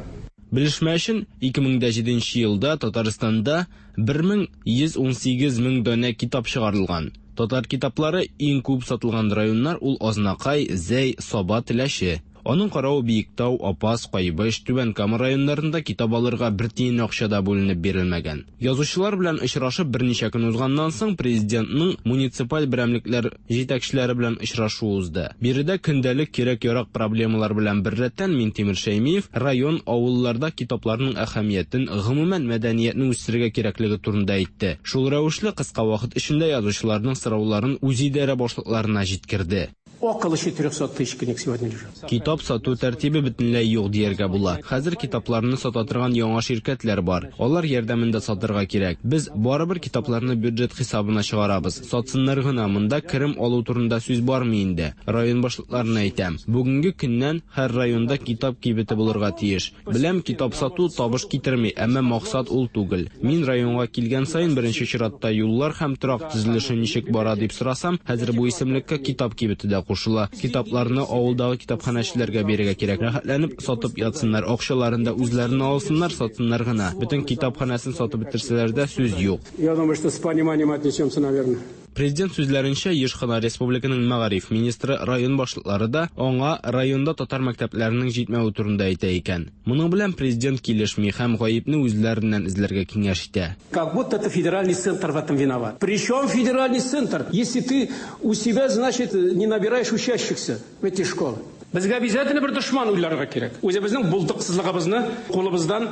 Speaker 14: Белешмә өчен, ике мең дә җиденче елда Татарстанда бер мең йөз ун сигез мең данә китап чыгарылган. Татар китаплары иң күп сатылган районнар ул Азнакай, Зәй, Саба, Теләче. Аның каравы Биектау, Апас, Кайбыч, Түбән Кама районнарында китап алырга бер тиен акча да бүленеп бирелмәгән. Язучылар белән очрашып берничә көн узганнан соң президентның муниципаль берәмлекләр җитәкчеләре белән очрашу узды. Биредә көндәлек кирәк-ярак проблемалар белән беррәттән Минтимер Шәймиев район авылларда китапларның әһәмиятен, гомумән мәдәниятне үстерергә кирәклеге турында әйтте. Шул рәвешле кыска вакыт эчендә язучыларның сорауларын үзидарә башлыкларына җиткерде.
Speaker 16: Около четырехсот тысяч книг сегодня лежат.
Speaker 14: Китап сату тәртибе бөтенләй юк дияргә була. Хәзер китапларны сата торган яңа ширкәтләр бар. Алар ярдәмендә сатырга кирәк. Без барыбер китапларны бюджет хисабына чыгарабыз. Сатсыннар гына, монда керем алу турында сүз бармы инде? Район башлыкларына әйтәм. Бүгенге көннән һәр районда китап кибете булырга тиеш. Беләм, китап сату табыш китерми, әмма максат ул түгел. Мин районга килгән саен беренче чиратта юллар һәм торак төзелеше ничек бара дип сорасам, хәзер бу исемлеккә китап кибете дә кушыла. Китапларны авылдагы китапханәчеләргә бирергә кирәк. Рәхәтләнеп сатып ятсыннар, акчаларын да үзләренә алсыннар, сатсыннар гына. Бөтен китапханәсен сатып бетерсәләр дә сүз юк.
Speaker 16: Я думаю, что с пониманием отнесемся, наверное.
Speaker 14: Президент сүзләренчә, еш кына республиканың мәгариф министры, район башлыклары да аңа районда татар мәктәпләренең җитмәве турында әйтә икән. Моның белән президент килешми һәм гаепне үзләреннән эзләргә киңәш итә.
Speaker 16: Как будто это федеральный центр в этом виноват. Причем федеральный центр, если ты у себя, значит, не набираешь учащихся в эти школы. Безгә обязательно бер дошман уйларга кирәк. Үзебезнең булдыксызлыгыбызны, кулыбыздан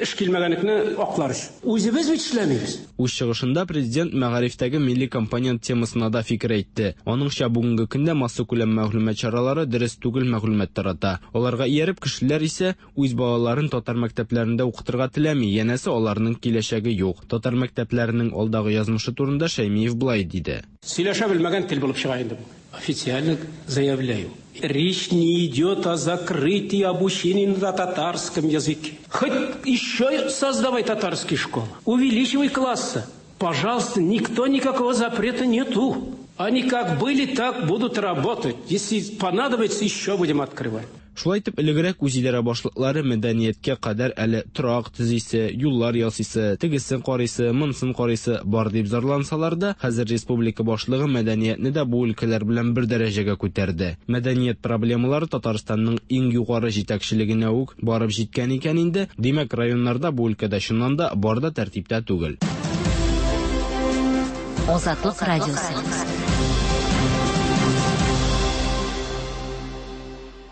Speaker 16: эш килмәгәнлекне аклар өчен. Үзебез бит эшләмибез.
Speaker 14: Үз чыгышында президент мәгарифтәге милли компонент темасына да фикер әйтте. Аныңча, бүгенге көндә массакүләм мәгълүмат чаралары дөрес түгел мәгълүмат тарата. Аларга ияреп кешеләр исә үз балаларын татар мәктәпләрендә укытырга теләми, янәсе аларның киләчәге юк. Татар мәктәпләренең алдагы язмышы турында Шәймиев былай диде.
Speaker 16: Сөйләшә белмәгән тел булып чыга инде бу. Официально заявляю, речь не идет о закрытии обучения на татарском языке. Хоть еще создавай татарские школы, увеличивай классы. Пожалуйста, никто никакого запрета нету. Они как были, так будут работать. Если понадобится, еще будем открывать.
Speaker 14: Шулай итеп, элегрәк үзидарә башлыклары мәдәнияткә кадәр әле торак төзисе, юллар ясыйсы, тегесен карыйсы, монысын карыйсы бар дип зарлансалар да, хәзер республика башлыгы мәдәниятне дә бу өлкәләр белән бер дәрәҗәгә күтәрде. Мәдәният проблемалары Татарстанның иң югары җитәкчелегенә үк барып җиткән икән инде, димәк, районнарда бу өлкәдә чыннан да бар да тәртиптә түгел.
Speaker 2: Азатлык радиосы.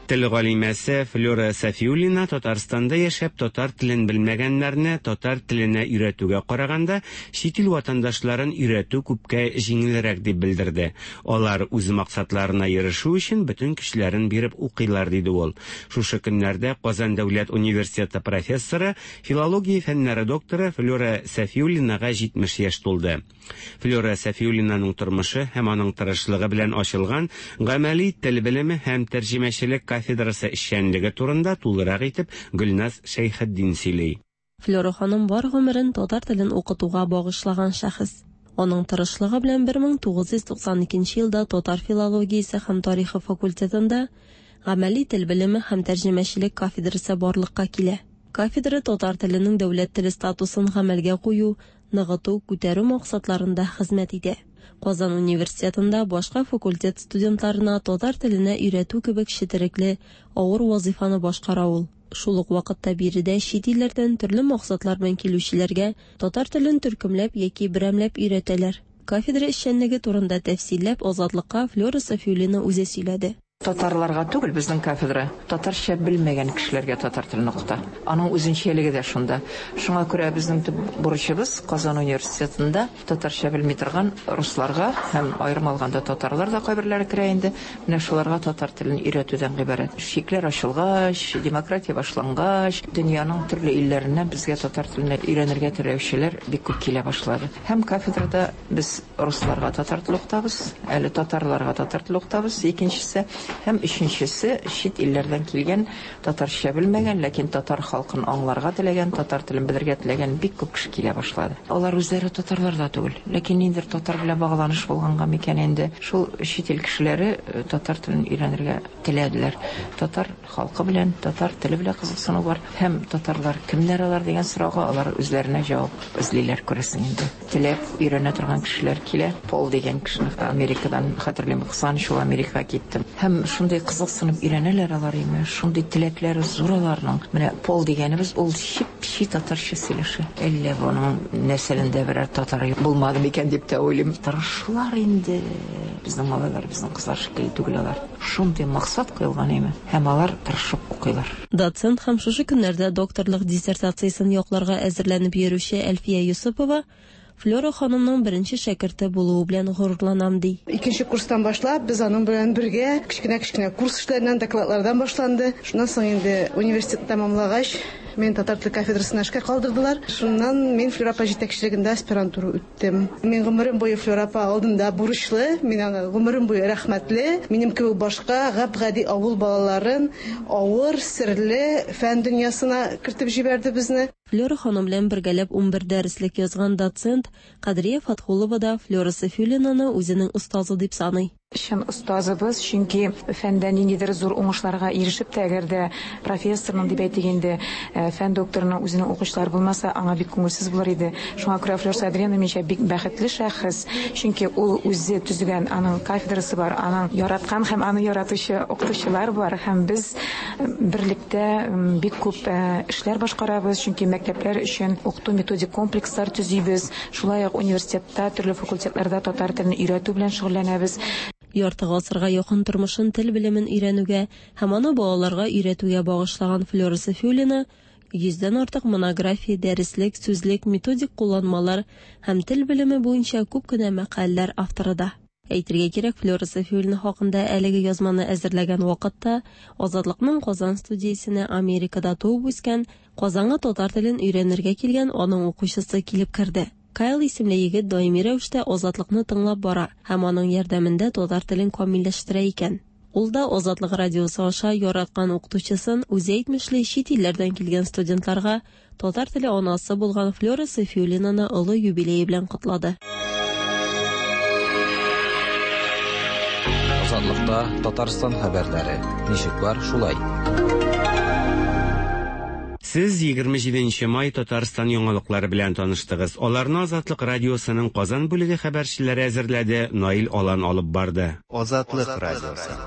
Speaker 10: Тел галимәсе Флюра Сафиуллина Татарстанда яшәп татар телен белмәгәннәрне татар теленә өйрәтүгә караганда чит ил ватандашларын өйрәтү күпкә җиңелрәк дип белдерде. Алар үз максатларына ирешү өчен бөтен көчләрен биреп укыйлар, диде ул. Шушы көннәрдә Казан дәүләт университеты профессоры, филология фәннәре докторы Флюра Сафиуллинага җитмеш яшь тулды. Флюра Сафиуллинаның тормышы һәм аның тырышлыгы белән ачылган гамәли тел белеме һәм тәрҗемәчелек кафедрасы эшчәнлеге турында тулырак итеп Гөлназ Шәйхетдин сөйли.
Speaker 17: Флюра ханым бар гомерен татар телен укытуга багышлаган шәхес. Аның тырышлыгы белән бер мең тугыз йөз туксан икенче елда татар филологиясе һәм тарихы факультетында гамәли тел белеме һәм тәрҗемәчелек кафедрасы барлыкка килә. Кафедра татар теленең дәүләт теле статусын гамәлгә кую, ныгыту, күтәрү максатларында хезмәт итә. Казан университетында башка факультет студентларына татар теленә өйрәтү кебек четерекле, авыр вазифаны башкара ул. Шул ук вакытта биредә чит илләрдән төрле максатлар белән килүчеләргә татар телен төркемләп яки берәмләп өйрәтәләр. Кафедра эшчәнлеге турында тәфсилләп Азатлыкка Флюра Сафиуллина үзе сөйләде.
Speaker 18: Татарларга түгел безнең кафедра, татарча белмәгән кешеләргә татар телен укыта. Аның үзенчәлеге дә шунда. Шуңа күрә безнең төп бурычыбыз Казан университетында татарча белми торган русларга һәм аерым алганда татарлар да кайберләре керә инде, менә шуларга татар телен өйрәтүдән гыйбарәт. Чикләр ачылгач, демократия башлангач, дөньяның төрле илләреннән безгә татар телен өйрәнергә теләүчеләр бик күп килә башлады. Һәм кафедрада без русларга татар телен укытабыз, әле татарларга татар телен укытабыз, икенчесе һәм өченчесе чит илләрдән килгән татарча белмәгән, ләкин татар халкын аңларга теләгән, татар телен белергә теләгән бик күп кеше килә башлады. Алар үзләре татарлар да түгел, ләкин ниндидер татар белән багланыш булганга микән инде, шул чит ил кешеләре татар телен өйрәнергә теләделәр. Татар халкы белән, татар теле белән кызыксыну бар. Һәм татарлар кемнәр алар дигән сорауга алар үзләренә җавап эзлиләр, күрәсең инде. Теләп өйрәнә торган кешеләр килә. Пол дигән кешене Америкадан хәтерлим, кызганыч, ул Америкага китте. Һәм шундый кызыксынып өйрәнәләр алар име, шундый теләкләре зур аларның. Менә Пол дигәнебез ул чип-чи татарча сөйләшә. Әллә буның нәселендә берәр татар булмады микән дип тә уйлыйм. Тырышлар инде. Безнең малайлар, безнең кызлар шикелле түгел алар. Шундый максат куелган име, һәм алар тырышып укыйлар.
Speaker 17: Доцент һәм шушы көннәрдә докторлык диссертациясен якларга әзерләнеп йөрүче Әлфия Юсупова Флюра ханымның беренче шәкерте булуы белән горурланам, ди.
Speaker 19: Икенче курстан башлап без аның белән бергә кечкенә-кечкенә курс эшләреннән, докладлардан башланды. Шуннан соң инде университетны тәмамлагач, мен татар теле кафедрасына эшкә калдырдылар. Шуннан мин Флюра апа җитәкчелегендә аспирантура үттем. Мин гомерем буе Флюра апа алдында бурычлы, мин аны гомерем буе рәхмәтле. Минем кебек башка гап-гади авыл балаларын авыр, серле фән дөньясына кертеп җибәрде безне.
Speaker 17: Флюра ханым белән бергәләп унбер дәреслек язган доцент Кадрия Фатхулова да Флюра Сафиуллинаны үзенең остазы дип саный.
Speaker 20: Чын остазыбыз, чөнки фәндә ниндидер зур уңышларга ирешеп тә, әгәр дә профессорның дип әйтик инде, фән докторының үзенең укучылары булмаса, аңа бик күңелсез булыр иде. Шуңа күрә Флюра Сафиуллина минемчә бик бәхетле шәхес, чөнки ул үзе төзегән, аның кафедрасы бар, аның яраткан һәм аны яратучы укытучылар бар, һәм без берлектә бик күп эшләр башкарабыз, чөнки мәктәпләр өчен укыту методик комплекслар төзибез, шулай ук университетта, төрле факультетларда татар телен өйрәтү белән шөгыльләнәбез.
Speaker 17: Ярты гасырга якын тормышын тел белемен өйрәнүгә һәм аны балаларга өйрәтүгә багышлаган Флюра Сафиуллина йөздән артык монография, дәреслек, сүзлек, методик кулланмалар һәм тел белеме буенча күп кенә мәкаләләр авторы да. Әйтергә кирәк, Флюра Сафиуллина хакында әлеге язманы әзерләгән вакытта Азатлыкның Казан студиясенә Америкада туып үскән, Казанга татар телен өйрәнергә килгән аның укучысы килеп керде. Кайл исемле егет даими рәвештә Азатлыкны тыңлап бара һәм аның ярдәмендә татар телен камилләштерә икән. Ул да Азатлык радиосы аша яраткан укытучысын, үзе әйтмешли, чит илләрдән килгән студентларга татар теле анасы булган Флера Сафиуллинаны олы юбилее белән котлады.
Speaker 3: Азатлыкта Татарстан хәбәрләре. Ничек бар, шулай.
Speaker 10: Сез егерме җиденче май Татарстан яңалыклары белән таныштыгыз. Аларны Азатлык радиосының Казан бүлеге хәбәрчеләре әзерләде, Наил Алан алып барды.
Speaker 21: Азатлык радиосы.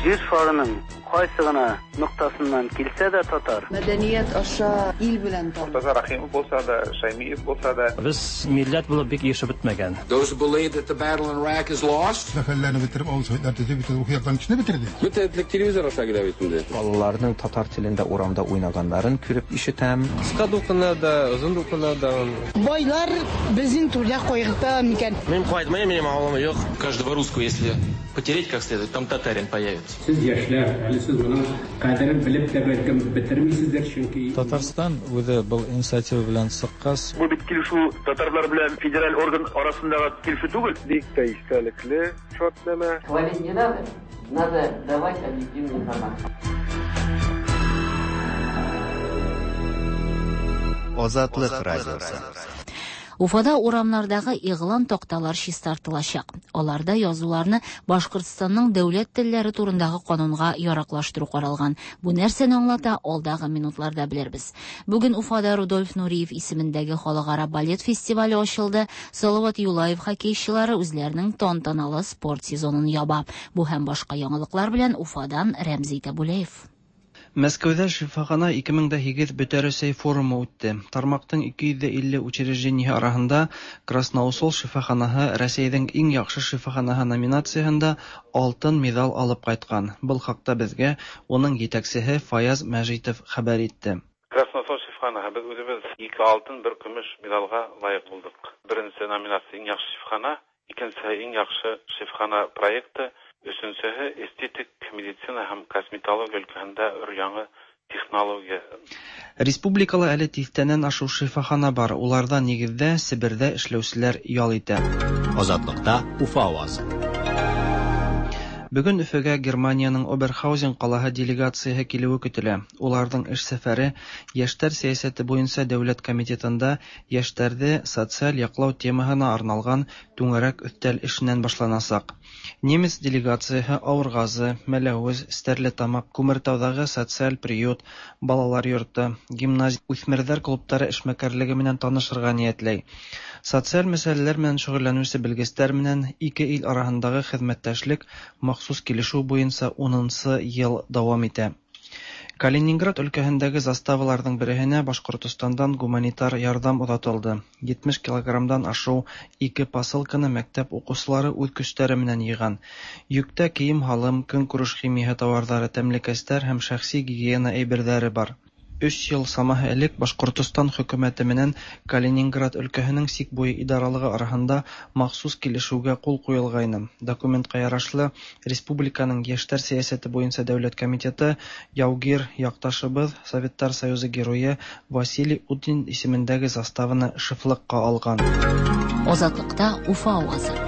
Speaker 22: Җир шарының кайсы гына ноктасыннан килсә дә татар.
Speaker 23: Мәдәният аша ил белән таныш.
Speaker 24: Мортаза Рахимов булса да, Шаймиев булса да.
Speaker 25: Без милләт булып бик ирешеп бетмәгән.
Speaker 26: Those who believe that the battle in Iraq is lost.
Speaker 15: Мәхәлләне бетереп, авыл советлар төзеп, бөтен рухи яктан кешене бетерде.
Speaker 26: Бөтен телевизор аша килә бит инде.
Speaker 27: Балаларның татар телендә урамда уйнаганнарын күреп ишетәм.
Speaker 7: Кыска дулкыннарда, озын дулкыннарда.
Speaker 19: Байлар безнең түрдә кайгырта микән?
Speaker 7: Мин кайтмыйм, минем авылым юк. Каждого русского, если потереть как следует, там татарин появится.
Speaker 16: Сез яшьләр, әле сез моның кадерен белеп тә бәлкем бетермисездер, чөнки
Speaker 28: Татарстан үзе был инициатива белән чыккач.
Speaker 29: Бу бит килешү татарлар белән федераль орган арасындагы килешү түгел.
Speaker 24: Бик тә истәлекле шартнамә.
Speaker 30: Хвалить не надо, надо давать объективную информацию.
Speaker 21: Азатлык радиосы.
Speaker 2: Уфада урамнардагы игълан такталар чистартылачак. Аларда язуларны Башкортстанның дәүләт телләре турындагы канунга яраклаштыру каралган. Бу нәрсәне аңлата, алдагы минутларда белербез. Бүген Уфада Рудольф Нуриев исемендәге халыкара балет фестивале ачылды. Салават Юлаев хоккейчылары үзләренең тантаналы спорт сезонын яба. Бу һәм башка яңалыклар белән Уфадан Рәмзи Табулеев.
Speaker 31: Мәскәүдә шифахана ике мең дә һигез Бөтәрәсәй форумы үтте. Тармактың ике йөз дә илле учреждениеһе арасында Красноусол шифаханаһы Рәсәйҙең иң яҡшы шифаханаһы номинацияһында алтын медаль алып ҡайтҡан. Был хаҡта беҙгә уның етәксеһе Фаяз Мәжитов хәбәр итте.
Speaker 32: Красноусол шифаханаһы беҙ үҙебеҙ ике алтын, бер көмөш медалға лайыҡ булдыҡ. Беренсе номинация иң яҡшы шифахана, икенсеһе иң яҡшы шифахана проекты, өсөнсөһө эстетик медицина һәм косметология өлкәһендә өр-яңы технология.
Speaker 31: Республикала әле тиҫтәнән ашыу шифахана бар. Уларҙа нигеҙҙә Себерҙә эшләүселәр ял итә.
Speaker 1: Азатлыкта Уфа авазы.
Speaker 31: Бөгөн Өфөгә Германияның Оберхаузен ҡалаһы делегацияһы килеүе көтөлә. Уларҙың эш сәфәре Йәштәр сәйәсәте буйынса дәүләт комитетында йәштәрҙе социаль яҡлау темаһына арналған түңәрәк өҫтәл эшенән башланасаҡ. Немец делегацияһы Ауырғазы, Мәләүез, Стәрлетамаҡ, Күмертауҙағы социаль приют, балалар йорто, гимназия, үҫмерҙәр клубтары эшмәкәрлеге менән танышырға ниәтләй. Социаль мәсьәләләр менән шөғөлләнеүсе белгестәр менән ике ил араһындағы хеҙмәттәшлек махсус килешеү буйынса унынсы йыл дауам итә. Калининград өлкәһендәге заставаларҙың береһенә Башҡортостандан гуманитар ярҙам оҙатылды. Етмеш килограммдан ашыу ике посылканы мәктәп уҡыусылары үҙ көстәре менән йыйған. Йөктә кейем-һалым, көнкүреш химияһы тауарҙары, тәмлекәстәр һәм шәхси гигиена әйберҙәре бар. Өс йыл самаһы элек Башҡортостан хөкүмәте менән Калининград өлкәһенең сик буйы идаралығы араһында махсус килешеүгә ҡул ҡуйылғайны. Документҡа ярашлы, республиканың йәштәр сәйәсәте буйынса дәүләт комитеты яугир яҡташыбыҙ Советтар Союзы геройы Василий Утин исемендәге заставаны шефлыҡҡа алған.
Speaker 2: Азатлыҡта Уфа авазы.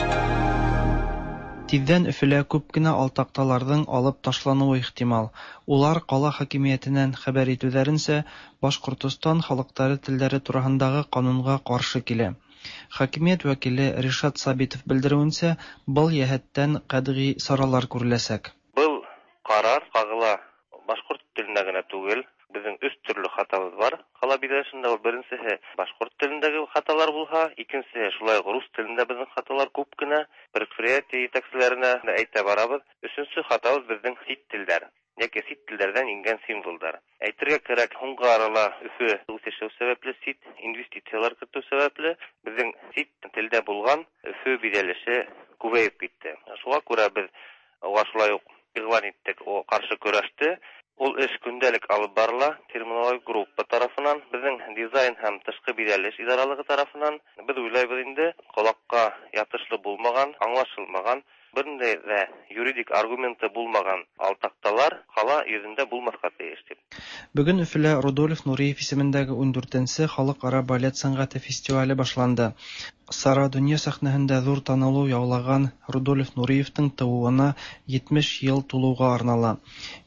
Speaker 31: Тиҙҙән Өфөлә күп кенә алтаҡталарҙың алып ташланыуы ихтимал. Улар ҡала хакимиәтенән хәбәр итеүҙәренсә, Башҡортостан халыҡтары телдәре тураһындағы ҡанунға ҡаршы килә. Хакимиәт вәкиле Ришат Сабитов белдереүенсә, был йәһәттән ҡәтғи саралар күреләсәк.
Speaker 33: Был ҡарар ҡағыла башҡорт теленә генә түгел, беҙҙең өс төрлө хатабыҙ бар. Ҡала биләшендә ул беренсеһе башҡорт телендәге хаталар булһа, икенсеһе шулай уҡ рус телендә беҙҙең хаталар күп кенә, предприятие етәкселәренә әйтә барабыҙ. Өсөнсө хатабыҙ беҙҙең сит телдәр, йәки сит телдәрҙән ингән символдар. Әйтергә кәрәк, һуңғы арала Өфө үҫешеү сәбәпле, сит инвестициялар кертеү сәбәпле, беҙҙең сит телдә булған Өфө биҙәлеше күбәйеп китте. Шуға күрә беҙ уға шулай уҡ иғлан иттек, о ҡаршы көрәште. Ул эш көндәлек алып барыла терминологик группа тарафынан, беҙҙең дизайн һәм тышҡы биҙәлеш идаралығы тарафынан. Беҙ уйлайбыҙ инде, ҡолаҡҡа ятышлы булмаған, аңлашылмаған Бернинди дә юридик аргументы булмаган алтакталар кала йөзендә булмаска тиеш дип.
Speaker 31: Бүген Өфөлә Рудольф Нуриев исемендәге ундүртенсе халыкара балет сәнгате фестивале башланды. Сара дөнья сәхнәһендә зур танылу яулаган Рудольф Нуриевтың тыуына етмеш йыл тулыуға арнала.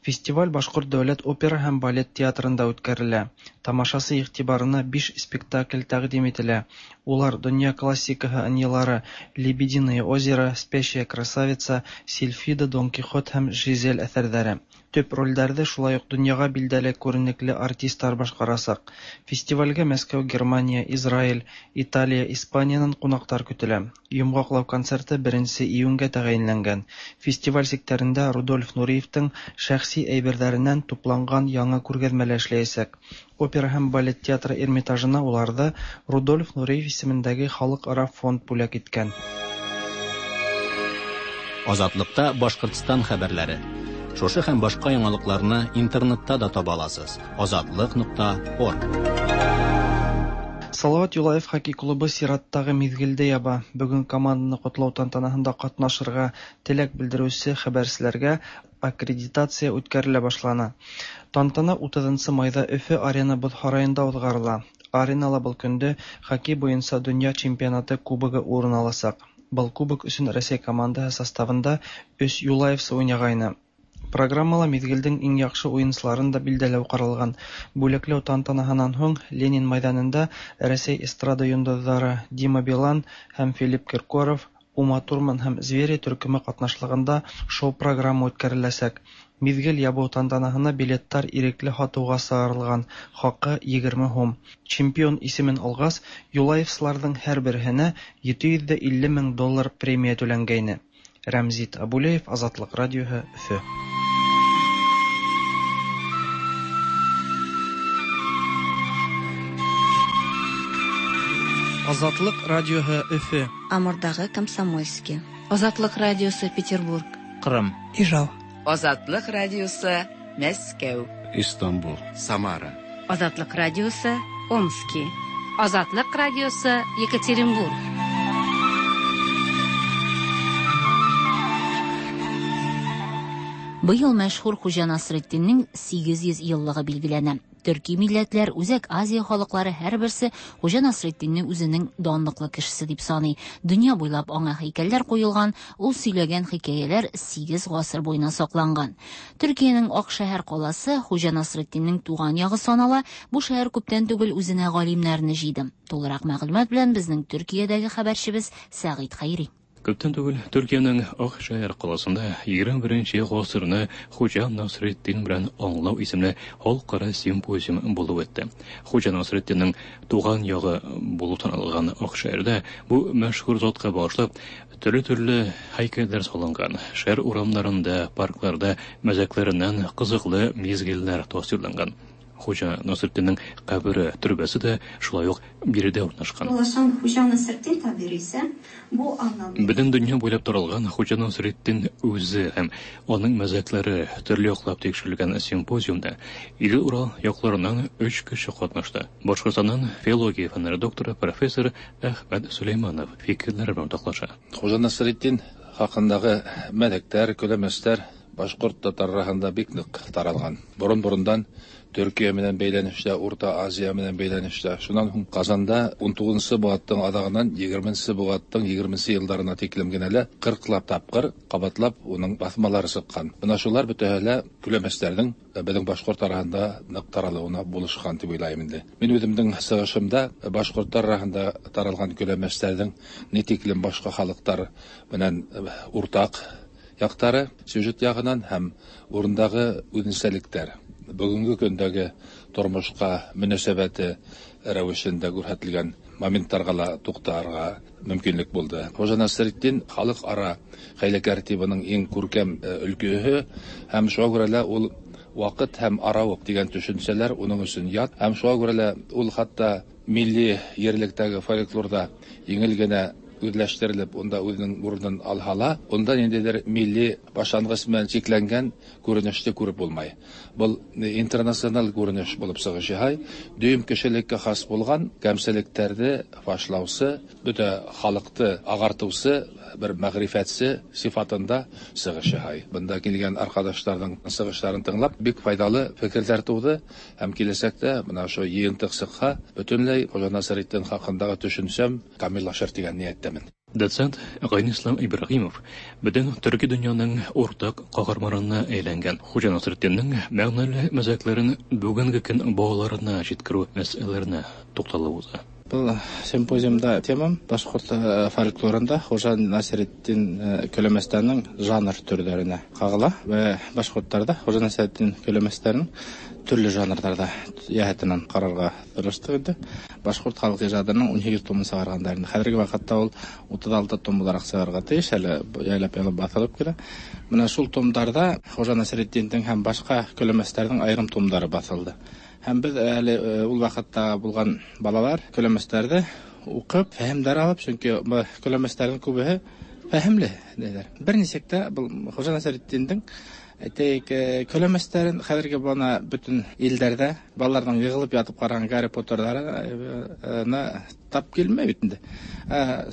Speaker 31: Фестиваль Башҡорт дәүләт опера һәм балет театрында үткәрелә. Тамашасы иғтибарына биш спектакль тәҡдим ителә. Улар дөнья классикаһы ынйылары «Лебединое озеро», «Спящая красавица», «Сильфида», «Дон Кихот» һәм «Жизель» әҫәрҙәре. Төп ролдәрҙе шулай уҡ донъяға билдәле күренекле артисттар башҡарасаҡ. Фестивалгә Мәскәү, Германия, Израиль, Италия, Испаниянан ҡунаҡтар көтөлә. Йомғаҡлау концерты беренсе июнгә тәғәйенләнгән. Фестиваль сиктәрендә Рудольф Нуриевтың шәхси әйберҙәренән тупланған яңы күргәҙмә лә эшләйәсәк. Опера һәм балет театры Эрмитажына уларҙы Рудольф Нуриев исемендәге халыҡ-ара фонд бүләк иткән.
Speaker 1: Азатлыкта Башҡортостан хәбәрләре. Шушы һәм башка яңалыкларны интернетта да таба аласыз. Азатлык нокта орг.
Speaker 31: Салават Юлаев хоккей клубы сираттағы миҙгелде яба. Бөгөн команданы ҡотлау тантанаһында ҡатнашырға теләк белдереүсе хәбәрселәргә аккредитация үткәрелә башлана. Тантана утыҙынсы майҙа Өфө арена боҙ һарайында уҙғарыла. Аренала был көндө хоккей буйынса донъя чемпионаты кубогы урын аласаҡ. Был кубок өсөн Рәсәй командаһы составында өс юлаевсы уйнағайны. Программала миҙгелдең иң яҡшы уйынсыларын да билдәләү ҡаралған. Бүләкләү тантанаһынан һуң Ленин майҙанында Рәсәй эстрада йондоҙҙары Дима Билан һәм Филипп Киркоров, Ума Турман һәм Звери төркөмө ҡатнашлығында шоу-программа үткәреләсәк. Миҙгел ябыу тантанаһына билеттар ирекле һатыуға сығарылған, хаҡы егерме һум. Чемпион исемен алғас, юлаевсыларҙың һәр береһенә ете йөҙ ҙә илле мең доллар премия түләнгәйне. Рәмзит Абулеев, Азатлыҡ радиоһы, Өфө. Азатлык радиоһы, Өфө.
Speaker 3: Амурдағы Комсомольский. Азатлык радиосы, Петербург.
Speaker 4: Кырым.
Speaker 5: Ижау.
Speaker 6: Азатлык радиосы, Мәскәү.
Speaker 8: Истанбул.
Speaker 21: Самара.
Speaker 9: Азатлык радиосы, Омский.
Speaker 11: Азатлык радиосы, Екатеринбург.
Speaker 2: Быел мәшһүр Хуҗа Насретдиннең сигеҙ йөҙ йыллығы билгеләнә. Төрки милләтләр, Үзәк Азия халыҡлары һәр берсе Хуҗа Насретдинне үзенең данлыҡлы кешесе дип саный. Дөнья буйлап аңа һәйкәлләр ҡуйылған, ул сөйләгән хикәйәләр сигеҙ ғасыр буйына саҡланған. Төркиәнең Аҡшәһәр ҡаласы Хуҗа Насретдиннең туған яғы санала. Бу шәһәр күптән түгел үзенә ғалимнәрне җыйды. Тулыраҡ мәғлүмәт белән безнең Төркиәдәге хәбәрчебез Сәғит Хәйри.
Speaker 12: Күптән түгел Төркиәнең Аҡшәһәр ҡаласында егерме беренсе ғасырны Хуҗа Насретдин белән аңлау исемле халыҡ-ара симпозиум булып үтте. Хуҗа Насретдиннең туған яғы булып танылған Аҡшәһәрҙә бу мәшһүр затҡа бағышлап төрлө-төрлө һәйкәлдәр салынған. Шәһәр урамдарында, паркларҙа мәзәкләренән ҡыҙыҡлы миҙгелдәр тасвирланған. Хуҗа Насретдиннең ҡәбере, төрбәсе дә шулай уҡ биредә урынлашҡан. Бөтөн донъя буйлап таралған Хуҗа Насретдин үҙе һәм уның мәзәкләре төрлө яҡлап тикшерелгән симпозиумда Идел-Урал яҡларынан өс кеше ҡатнашты. Башҡортостандан филология фәндәре докторы профессор Әхмәт Сөләйманов фикерләре белән уртаҡлаша.
Speaker 13: Хуҗа Насретдин хаҡындағы мәҙәктәр, көләмәстәр башҡорт татар араһында бик ныҡ таралған. Борон-борондан Төркиә менән бәйләнештә, Урта Азия менән бәйләнештә. Шунан һуң Ҡазанда ун туғыҙынсы быуаттың аҙағынан егерменсе быуаттың егерменсе йылдарына тиклем генә лә ҡырҡлап тапҡыр ҡабатлап уның баҫмалары сыҡҡан. Бына шулар бөтәһе лә көләмәстәрҙең беҙҙең башҡорт араһында ныҡ таралыуына булышҡан тип уйлайым инде. Мин үҙемдең сығышымда башҡорттар араһында таралған көләмәстәрҙең ни тиклем башҡа халыҡтар менән уртаҡ яҡтары, сюжет яғынан һәм урындағы үҙенсәлектәр, бөгөнгө көндәге тормошҡа мөнәсәбәте рәүешендә күрһәтелгән моменттарға ла туҡтарға мөмкинлек булды. Хуҗа Насретдин халыҡ-ара хәйләкәр тибының иң күркәм өлкәһе һәм шуға күрә лә ул ваҡыт һәм арауыҡ тигән төшөнсәләр уның өсөн ят, һәм шуға күрә лә ул хатта милли ерлектәге фольклорҙа еңел генә үзләштерелеп, унда үзенең урынын алһа ла, унда ниндәйҙер милли башланғыс менән сикләнгән күренеште күреп булмай. Был интернациональ күренеш булып сығыш яһай, дөйөм кешелеккә хас булған кәмселектәрҙе фашлаусы, бөтә халыҡты ағартыусы бер мәғрифәтсе сифатында сығыш яһай. Бында килгән арҡадаштарҙың сығыштарын тыңлап, бик файҙалы фекерҙәр тыуҙы һәм киләсәктә бына ошо йыйынтыҡ сыҡһа, бөтөнләй Хужа Насретдин хаҡындағы төшөнсәм камиллашыр тигән ниәттәмен.
Speaker 12: Доцент Ғайнислам Ибраһимов бөтөн төрки донъяның уртаҡ ҡаһарманына әйләнгән Хужа Насретдиндең мәғәнәле мәзәкләрен бөгөнгө көн балаларына еткереү мәсьәләләренә туҡталып уҙа.
Speaker 4: Был симпозиумда темам башҡорт фольклорында Хужа Насретдин көләмәстәренең жанр төрҙәренә ҡағыла вә башҡорттарҙа Хужа Насретдин көләмәстәренең төрлө жанрҙарҙа йәһәтенән ҡарарға тырыштыҡ инде. Башҡорт халыҡ ижадының ун һигеҙ томын сығарғандар инде. Хәҙерге ваҡытта ул утыҙ алты том булараҡ сығарға тейеш, әле яйлап-яйлап баҫылып килә. Бына шул томдарҙа Хужа Насретдиндең һәм башҡа көләмәстәрҙең айырым томдары баҫылды. Һәм беҙ әле ул ваҡытта булған балалар көләмәстәрҙе уҡып, фәһемдәр алып, сөнки көләмәстәрҙең күбеһе фәһемле тиҙәр. Бер нисек тә был Хужа Насретдиндең әйтәйек, көләмәстәрен хәҙерге бына бөтөн илдәрҙә балаларҙың йығылып ятып ҡараған Гарри Поттерҙарына тап килмәй бит инде.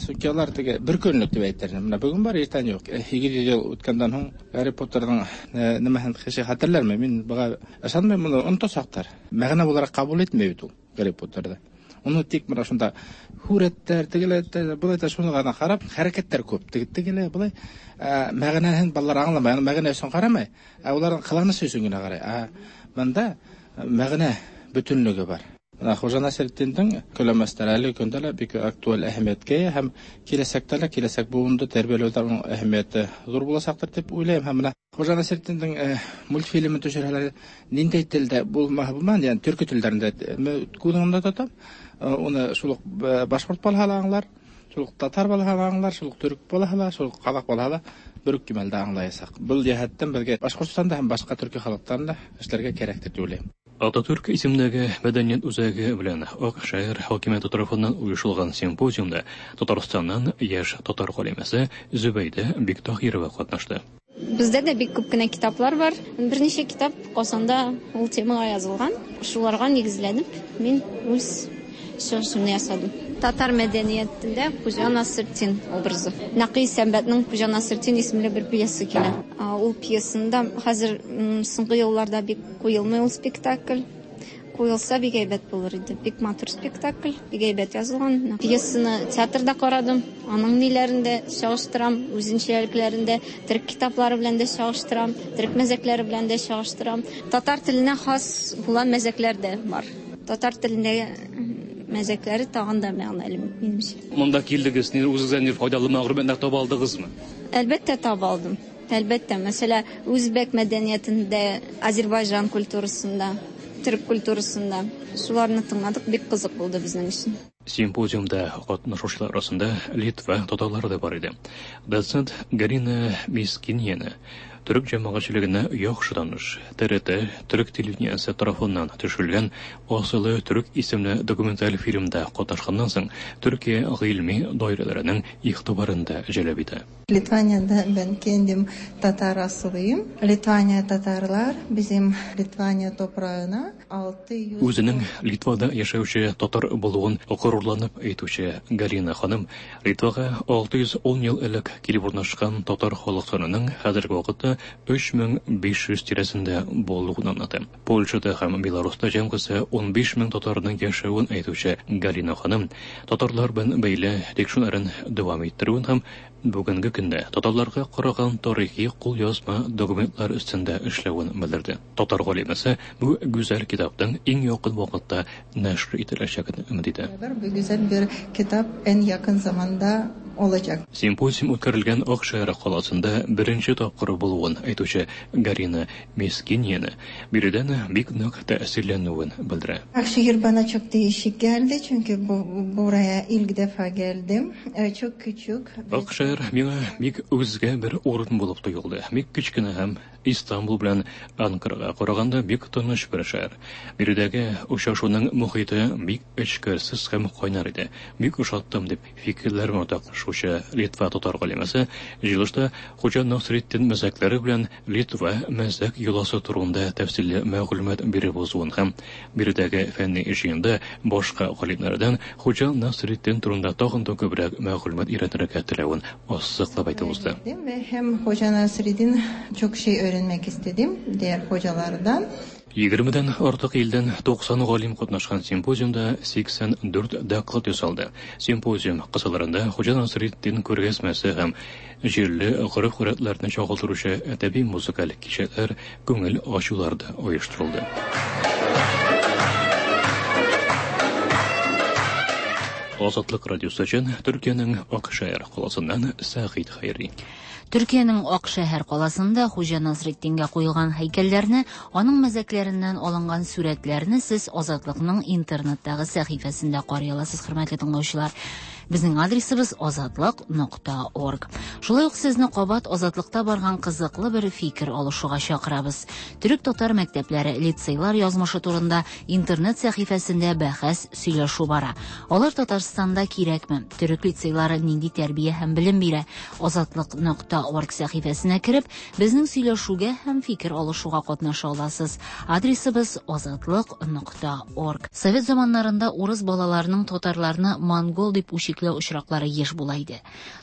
Speaker 4: Сөнки улар теге бер көнлөк тип әйтер. Бына бөгөн бар, иртән юҡ. Һигеҙ йөҙ йыл үткәндән һуң Гарри Поттерҙың нәмәһен кеше хәтерләрме? Мин быға ышанмайым, уны онотасаҡтар. Мәғәнә булараҡ ҡабул итмәй бит ул Гарри Поттерҙы. Уны тик бына шунда һүрәттәр, тегеләр, былай та шуны ғына ҡарап, хәрәкәттәр күп. Тегеләр былай мәғәнәһен балалар аңламай, мәғәнә өсөн ҡарамай, ә уларҙың ҡыланышы өсөн генә ҡарай. Ә бында мәғәнә бөтөнлөгө бар. Бына Хужа Насретдиндең көләмәстәре әле көндә лә бик актуаль әһәмиәткә эйә һәм киләсәктә лә киләсәк быуынды тәрбиәләүҙә уның әһәмиәте ҙур буласаҡтыр тип уйлайым. Һәм бына Хужа Насретдиндең мультфильмын төшөрһәләр, ниндәй телдә булмаһа булмаһын, йәғни төрки телдәрендә күҙ уңында тотам, уны шул уҡ башҡорт балаһы ла аңлар, шул уҡ татар балаһы ла аңлар, шул уҡ төрөк балаһы ла, шул уҡ ҡаҙаҡ балаһы ла бер үк кимәлдә аңлаясаҡ. Был йәһәттән беҙгә Башҡортостанда һәм башҡа төрки халыҡтарында эшләргә кәрәктер тип уйлайым.
Speaker 12: Ататүрк исемендәге мәдәниәт үзәге белән Аҡшәһәр хакимиәте тарафыннан ойошолған симпозиумда Татарстаннан йәш татар ғалимәсе Зөбәйҙә Биктаһирова ҡатнашты.
Speaker 5: Бездә дә бик күп кенә китаплар бар. Берничә китап Ҡазанда ул темаға язылған. Шуларға нигеҙләнеп, мин үҙ чыгышымны ясадым. Татар мәдәниәтендә Хужа Насретдин образы. Нәкый Сәмбәтнең Хужа Насретдин исемле бер пьеса килә. Ул пьесында хәзер соңгы елларда бик куелмый ул спектакль. Куелса бик әйбәт булыр иде. Бик матур спектакль, бик әйбәт язылган. Пьесаны театрда карадым, аның ниләрен дә чагыштырам, үзенчәлекләрен дә, төрек китаплары белән дә чагыштырам, төрек мәзәкләре белән дә чагыштырам. Татар теленә хас булган мәзәкләр дә бар. Татар телендә мәзәкләре тагын да мәгънәле минемчә.
Speaker 12: Монда килдегез, ни үзегездән ни файдалы мәгълүматлар таба алдыгызмы?
Speaker 5: Әлбәттә таба алдым. Әлбәттә, мәсәлә, үзбәк мәдәниятендә, Азербайҗан культурасында, төрек культурасында шуларны тыңладык, бик кызык булды безнең өчен.
Speaker 12: Симпозиумда катнашучылар арасында Литва татарлары да бар иде. Доцент Галина Мискиньяна төрек җәмәгатьчелегенә яхшы таныш. Т Р Т төрек телевидениесе тарафыннан төшерелгән Асылы төрек исемле документаль фильмда катнашканнан соң Төркия гыйльми даирәләренең игътибарын да җәлеп итә.
Speaker 8: Litvanya'da ben kendim Tatar asıllıyım. Litvanya Tatarlar bizim Litvanya toprağına altı yüz
Speaker 12: Үзенең Литвада яшәүче татар булуын горурланып әйтүче Галина ханым Литвага алты йөз ун ел элек килеп урнашкан татар халык санының хәзерге вакытта өч мең биш йөз тирәсендә булуын аңлата. Польшада һәм Беларуста җәмгысе ун биш мең татарның яшәвен әйтүче Галина ханым татарлар белән бәйле тикшерүләрен дәвам иттерүен һәм бүгенге көндә татарларга караган тарихи кулъязма документлар өстендә эшләвен белдерде. Татар галимәсе бу гүзәл китапның иң якын вакытта нәшр ителәчәген өмет итә.
Speaker 8: Bu güzel bir kitap en yakın zamanda olacak.
Speaker 12: Симпозиум үткәрелгән Акшәһәр каласында беренче тапкыр булуын әйтүче Галина Мискиньяна биредән бик нык тәэсирләнүен белдерә.
Speaker 8: Akşehir bana çok değişik geldi çünkü bu, buraya ilk defa geldim. Çok küçük.
Speaker 12: Акшәһәр миңа бик үзгә бер урын булып тоелды. Бик кечкенә һәм Истанбул белән Анкарага караганда бик тыныч бер шәһәр. Биредәге очрашуның мохите бик эчкерсез һәм кайнар иде. Бик ошаттым дип фикерләрен уртаклашучы Литва татар галимәсе җыелышта Хуҗа Насретдин мәзәкләре белән Литва мәзәк йоласы турында тәфсилле мәгълүмат биреп узуын һәм биредәге фәнни җыенда башка галимнәрдән Хуҗа Насретдин турында тагын да күбрәк мәгълүмат өйрәнергә теләвен ассызыклап әйтеп узды.
Speaker 8: Ve hem Hoca Nasreddin çok şey öğrenmek istedim diğer hocalardan.
Speaker 12: Егермедән артык илдән туксан галим катнашкан симпозиумда сиксән дүрт доклад ясалды. Симпозиум кысаларында Хуҗа Насретдин күргәзмәсе һәм җирле гореф-гадәтләрне чагылдыручы әдәби музыкаль кичәләр, күңел ачулар да оештырылды. Азатлык радиосы өчен Төркиянең Акшәһәр каласыннан Сәгыйть Хәйри.
Speaker 2: Төркиянең Акшәһәр каласында Хуҗа Насретдингә куелган һәйкәлләрне, аның мәзәкләреннән алынган сурәтләрне сез Азатлыкның интернеттагы сәхифәсендә карый аласыз, хөрмәтле тыңлаучылар. Безнең адресыбыз азатлык нокта орг. Шулай ук сезне кабат Азатлыкта барган кызыклы бер фикер алышуга чакырабыз. Төрек татар мәктәпләре, лицейлар язмышы турында интернет сәхифәсендә бәхәс сөйләшү бара. Алар Татарстанда кирәкме? Төрек лицейлары нинди тәрбия һәм белем бирә? Азатлык нокта орг сәхифәсенә кереп, безнең сөйләшүгә һәм фикер алышуга катнаша аласыз. Адресыбыз азатлык нокта орг. Совет заманнарында урыс балаларының татарларны монгол дип үчекләү очраклары еш була иде.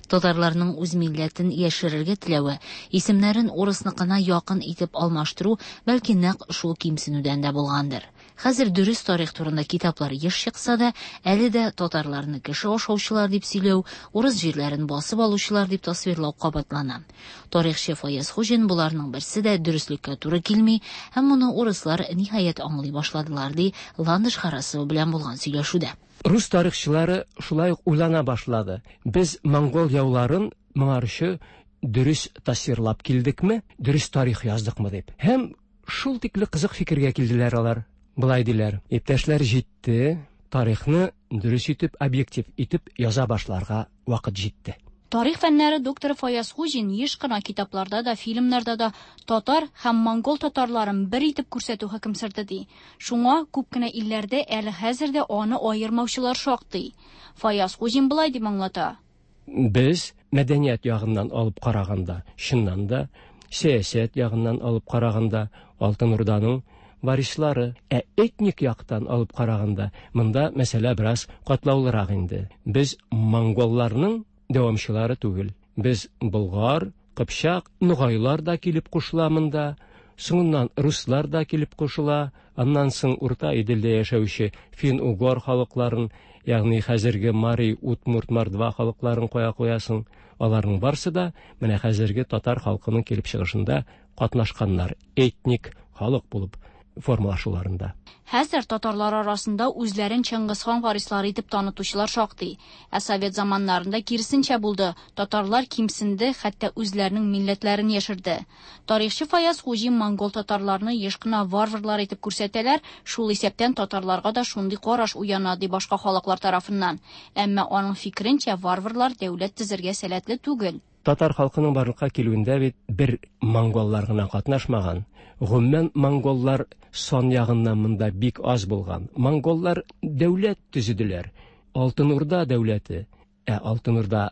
Speaker 2: Татарларның үз милләтен яшерергә теләве, исемнәрен урысныкына якын итеп алмаштыру бәлки нәкъ шул кимсенүдән дә булгандыр. Хәзер дөрес тарих турында китаплар еш чыкса да, әле дә татарларны кеше ашаучылар дип сөйләү, урыс җирләрен басып алучылар дип тасвирлау кабатлана. Тарихчы Фаяз Хуҗин буларның берсе дә дөреслеккә туры килми һәм моны урыслар ниһаять аңлый башладылар, ди Ландыш Харасова белән булган сөйләшүдә.
Speaker 7: Рус тарихчылары шулай ук уйлана башлады. Без монгол яуларын моңарчы дөрес тасвирлап килдекме, дөрес тарих яздыкмы дип. Һәм шул тикле кызык фикергә килделәр алар. Былай диләр: иптәшләр, җитте, тарихны дөрес итеп, объектив итеп яза башларга вакыт җитте.
Speaker 10: Тарих фәннәре докторы Фаяз Хуҗин еш кына китапларда да, фильмнарда да татар һәм монгол татарларын бер итеп күрсәтү хөкем сөрде ди. Шуңа күп кенә илләрдә әле хәзер дә аны аермаучылар шактый. Фаяз Хуҗин былай дип аңлата:
Speaker 7: Без мәдәният ягыннан алып караганда, чыннан да, сәясәт ягыннан алып караганда Алтын Урданың варислары, ә этник яктан алып караганда, монда мәсьәлә бераз катлаулырак инде. Без монголларның дәвамчылары түгел. Без болгар, кыпчак, нугайлар да килеп кушыла монда, соңыннан руслар да килеп кушыла, аннан соң Урта Иделдә яшәүче фин-угор халыкларын, ягъни хәзерге мари, удмурт, мордва халыкларын куя куясың. Аларның барсы да менә хәзерге татар халкының килеп чыгышында катнашканнар, этник халык булып формалашуларында.
Speaker 10: Хәзер татарлар арасында үзләрен Чыңгызхан варислары итеп танытучылар шактый. Ә совет заманнарында киресенчә булды. Татарлар кимсенде, хәтта үзләренең милләтләрен яшерде. Тарихчы Фаяз Хуҗин монгол татарларны еш кына варварлар итеп күрсәтәләр, шул исәптән татарларга да шундый караш уяна ди башка халыклар тарафыннан. Әмма аның фикеренчә, варварлар дәүләт төзергә сәләтле түгел.
Speaker 7: Татар халкының барлыкка килүендә бит бер монголлар гына катнашмаган. Гомумән монголлар сан ягыннан монда бик аз булган. Монголлар дәүләт төзеделәр. Алтын Урда дәүләте. Ә Алтын Урда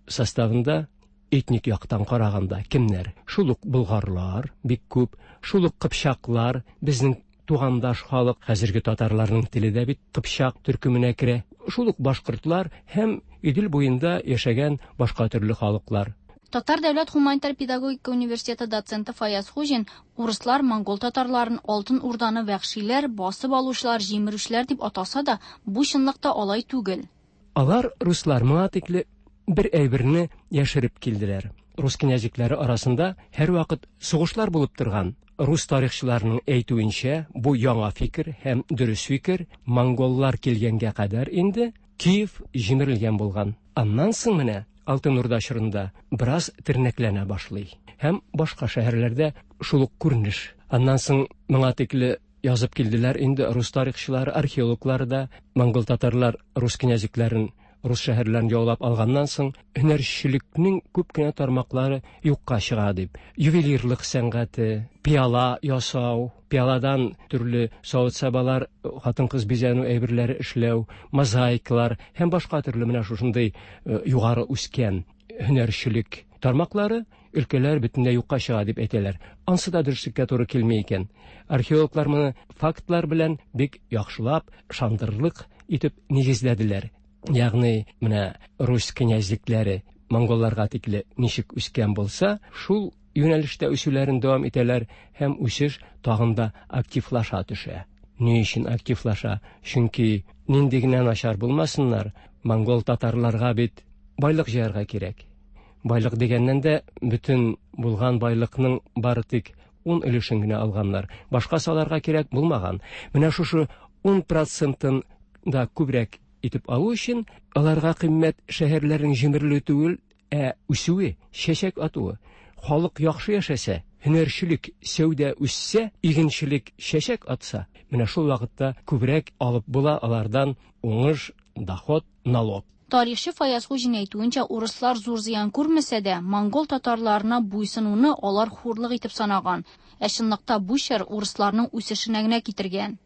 Speaker 7: составында этник яктан караганда кемнәр? Шул ук болгарлар бик күп, шул ук кыпчаклар, безнең тугандаш халык, хәзерге татарларның теле дә бит кыпчак төркеменә керә. Шул ук башкортлар һәм Идел буенда яшәгән башка төрле халыклар.
Speaker 10: Татар дәүләт гуманитар педагогика университеты доценты Фаяз Хуҗин урыслар монгол татарларын Алтын Урданы вәхшиләр, басып алучылар, җимерүчеләр дип атаса да, бу чынлыкта алай түгел.
Speaker 7: Алар руслар моңа тикле бер әйберне яшереп килделәр. Рус князьләре арасында һәрвакыт сугышлар булып торган. Рус тарихчыларының әйтүенчә, бу яңа фикер һәм дөрес фикер монголлар килгәнгә кадәр инде Киев җимерелгән булган. Аннан соң менә Алтын Урда чорында бераз тернәкләнә башлый. Һәм башка шәһәрләрдә шул ук күренеш. Аннан соң моңа тикле язып килделәр инде рус тарихчылары, археологлары да, монгол татарлар рус князьләрен Рус шәһәрләрен яулап алганнан соң һөнәрчелекнең күп кенә тармаклары юкка чыга дип. Ювелирлык сәнгате, пиала ясау, пиаладан төрле савыт-сабалар, хатын-кыз бизәнү әйберләре эшләү, мозаикалар һәм башка төрле менә шушындый югары үскән һөнәрчелек тармаклары өлкәләр бөтенләй юкка чыга дип әйтәләр. Ансы да дөреслеккә туры килми икән. Археологлар моны фактлар белән бик яхшылап, ышандырырлык итеп нигезләделәр. Ягъни менә Русь князьлекләре монголларга тикле ничек үскән булса, шул юнәлештә үсүләрен дәвам итәләр һәм үсеш тагын да активлаша төшә. Ни өчен активлаша? Чөнки нинди генә начар булмасыннар, монгол татарларга бит байлык җыярга кирәк. Байлык дигәннән дә бөтен булган байлыкның бары тик ун өлешен генә алганнар. Башкасы аларга кирәк булмаган. Менә шушы ун процентын да күбрәк итеп алу өчен аларга кыйммәт шәһәрләрнең җимерелүе түгел, ә үсүе, чәчәк атуы. Халык яхшы яшәсә, һөнәрчелек, сәүдә үссә, игенчелек чәчәк атса, менә шул вакытта күбрәк алып була алардан уңыш, доход, налог.
Speaker 10: Тарихчы Фаяз Хуҗин әйтүенчә, урыслар зур зыян күрмәсә дә, монгол татарларына буйсынуны алар хурлык итеп санаган. Ә чынлыкта бу чор урысларның үсешенә генә китергән.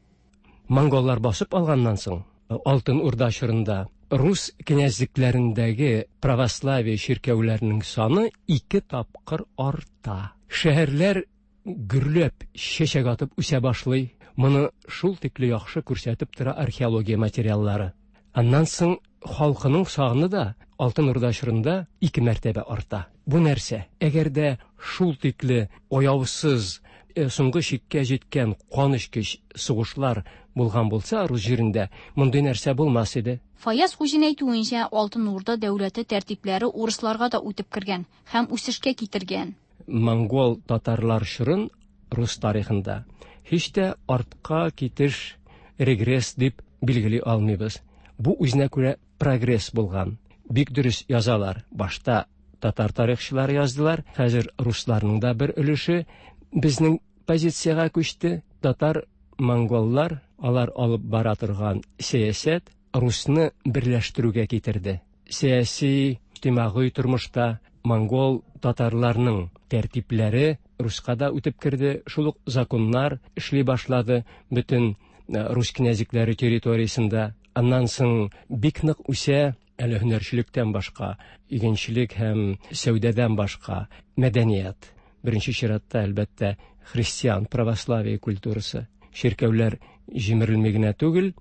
Speaker 7: Монголлар басып алганнан соң, Алтын Урда чорында рус князьлекләрендәге православие чиркәүләренең саны ике тапкыр арта. Шәһәрләр гөрләп чәчәк атып үсә башлый. Моны шул тикле яхшы күрсәтеп тора археология материаллары. Аннан соң халкының саны да Алтын Урда чорында ике мәртәбә арта. Бу нәрсә? Әгәр дә шул тикле аяусыз, соңгы чиккә җиткән канечкеч сугышлар булган булса рус җирендә, мондый нәрсә булмас иде.
Speaker 10: Фаяз Хуҗин әйтүенчә, Алтын Урда дәүләте тәртипләре урысларга да үтеп кергән һәм үсешкә китергән.
Speaker 7: Монгол татарлар чорын рус тарихында һич тә артка китеш, регресс дип билгели алмыйбыз. Бу үзенә күрә прогресс булган. Бик дөрес язалар. Башта татар тарихчылары яздылар, хәзер русларның да бер өлеше безнең позициягә күчте. Татар, монголлар, алар алып бара торган сәясәт русны берләштерүгә китерде. Сәяси, иҗтимагый тормышта монгол татарларның тәртипләре руска да үтеп керде. Шул ук законнар эшли башлады бөтен рус князьлекләре территориясендә. Аннан соң бик нык үсә әле һөнәрчелектән башка, игенчелек һәм сәүдәдән башка мәдәният. Беренче чиратта, әлбәттә, христиан православие культурасы. Чиркәүләр җимерелми генә түгел,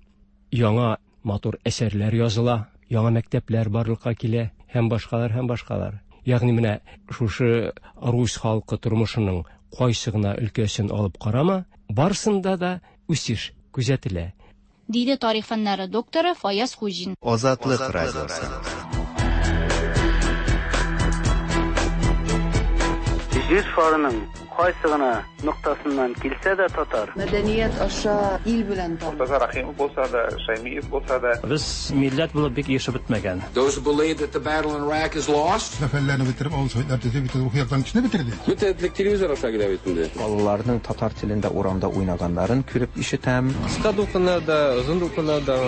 Speaker 7: яңа матур әсәрләр языла, яңа мәктәпләр барлыкка килә һәм башкалар һәм башкалар. Ягъни менә шушы рус халкы тормышының кайсы гына өлкәсен алып карама, барсында да үсеш күзәтелә.
Speaker 10: Диде тарих фәннәре докторы Фаяз Хуҗин.
Speaker 21: Азатлык радиосы.
Speaker 30: Җир шарының кайсы гына ноктасыннан килсә дә татар.
Speaker 6: Мәдәният аша ил белән таныш.
Speaker 24: Мортаза Рахимов булса да, Шаймиев булса да.
Speaker 14: Без милләт булып бик яшәп бетмәгән.
Speaker 15: Those who believe that the battle in Iraq is lost.
Speaker 16: Сәфәрләрне бетереп, авыл советлар төзеп, бөтен рухи яктан кешене бетерде.
Speaker 17: Бөтен телевизор аша килә бит инде.
Speaker 18: Балаларның татар телендә урамда уйнаганнарын күреп ишетәм.
Speaker 19: Кыска дулкыннарда, озын дулкыннарда.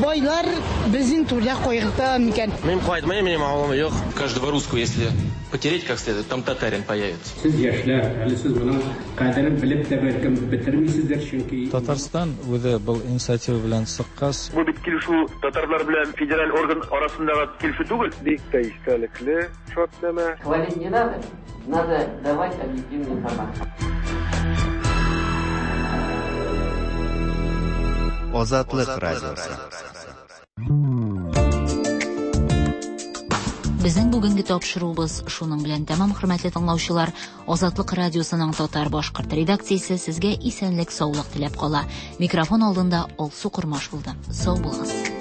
Speaker 20: Байлар безнең түрдә кайгырта микән?
Speaker 22: Мин кайтмыйм, минем авылым юк.
Speaker 23: Каждого русского, если потереть как следует, там татарин появится.
Speaker 25: Сез яшьләр, әле сез моның кадерен белеп тә бәлкем бетермисездер, чөнки
Speaker 26: Татарстан үзе был инициатива белән чыккач,
Speaker 29: бу бит килешү татарлар белән федераль орган арасындагы килешү түгел.
Speaker 24: Бик тә истәлекле шартнамә.
Speaker 30: Хвалить не надо, надо давать объективную информацию.
Speaker 21: Азатлык радиосы.
Speaker 2: Безнең бүгенге тапшыруыбыз шуның белән тәмам, хөрмәтле тыңлаучылар. Азатлык радиосының татар башкорт редакциясе сезгә исәнлек, саулык теләп кала. Микрофон алдында Алсу Кормаш булды. Сау булыгыз.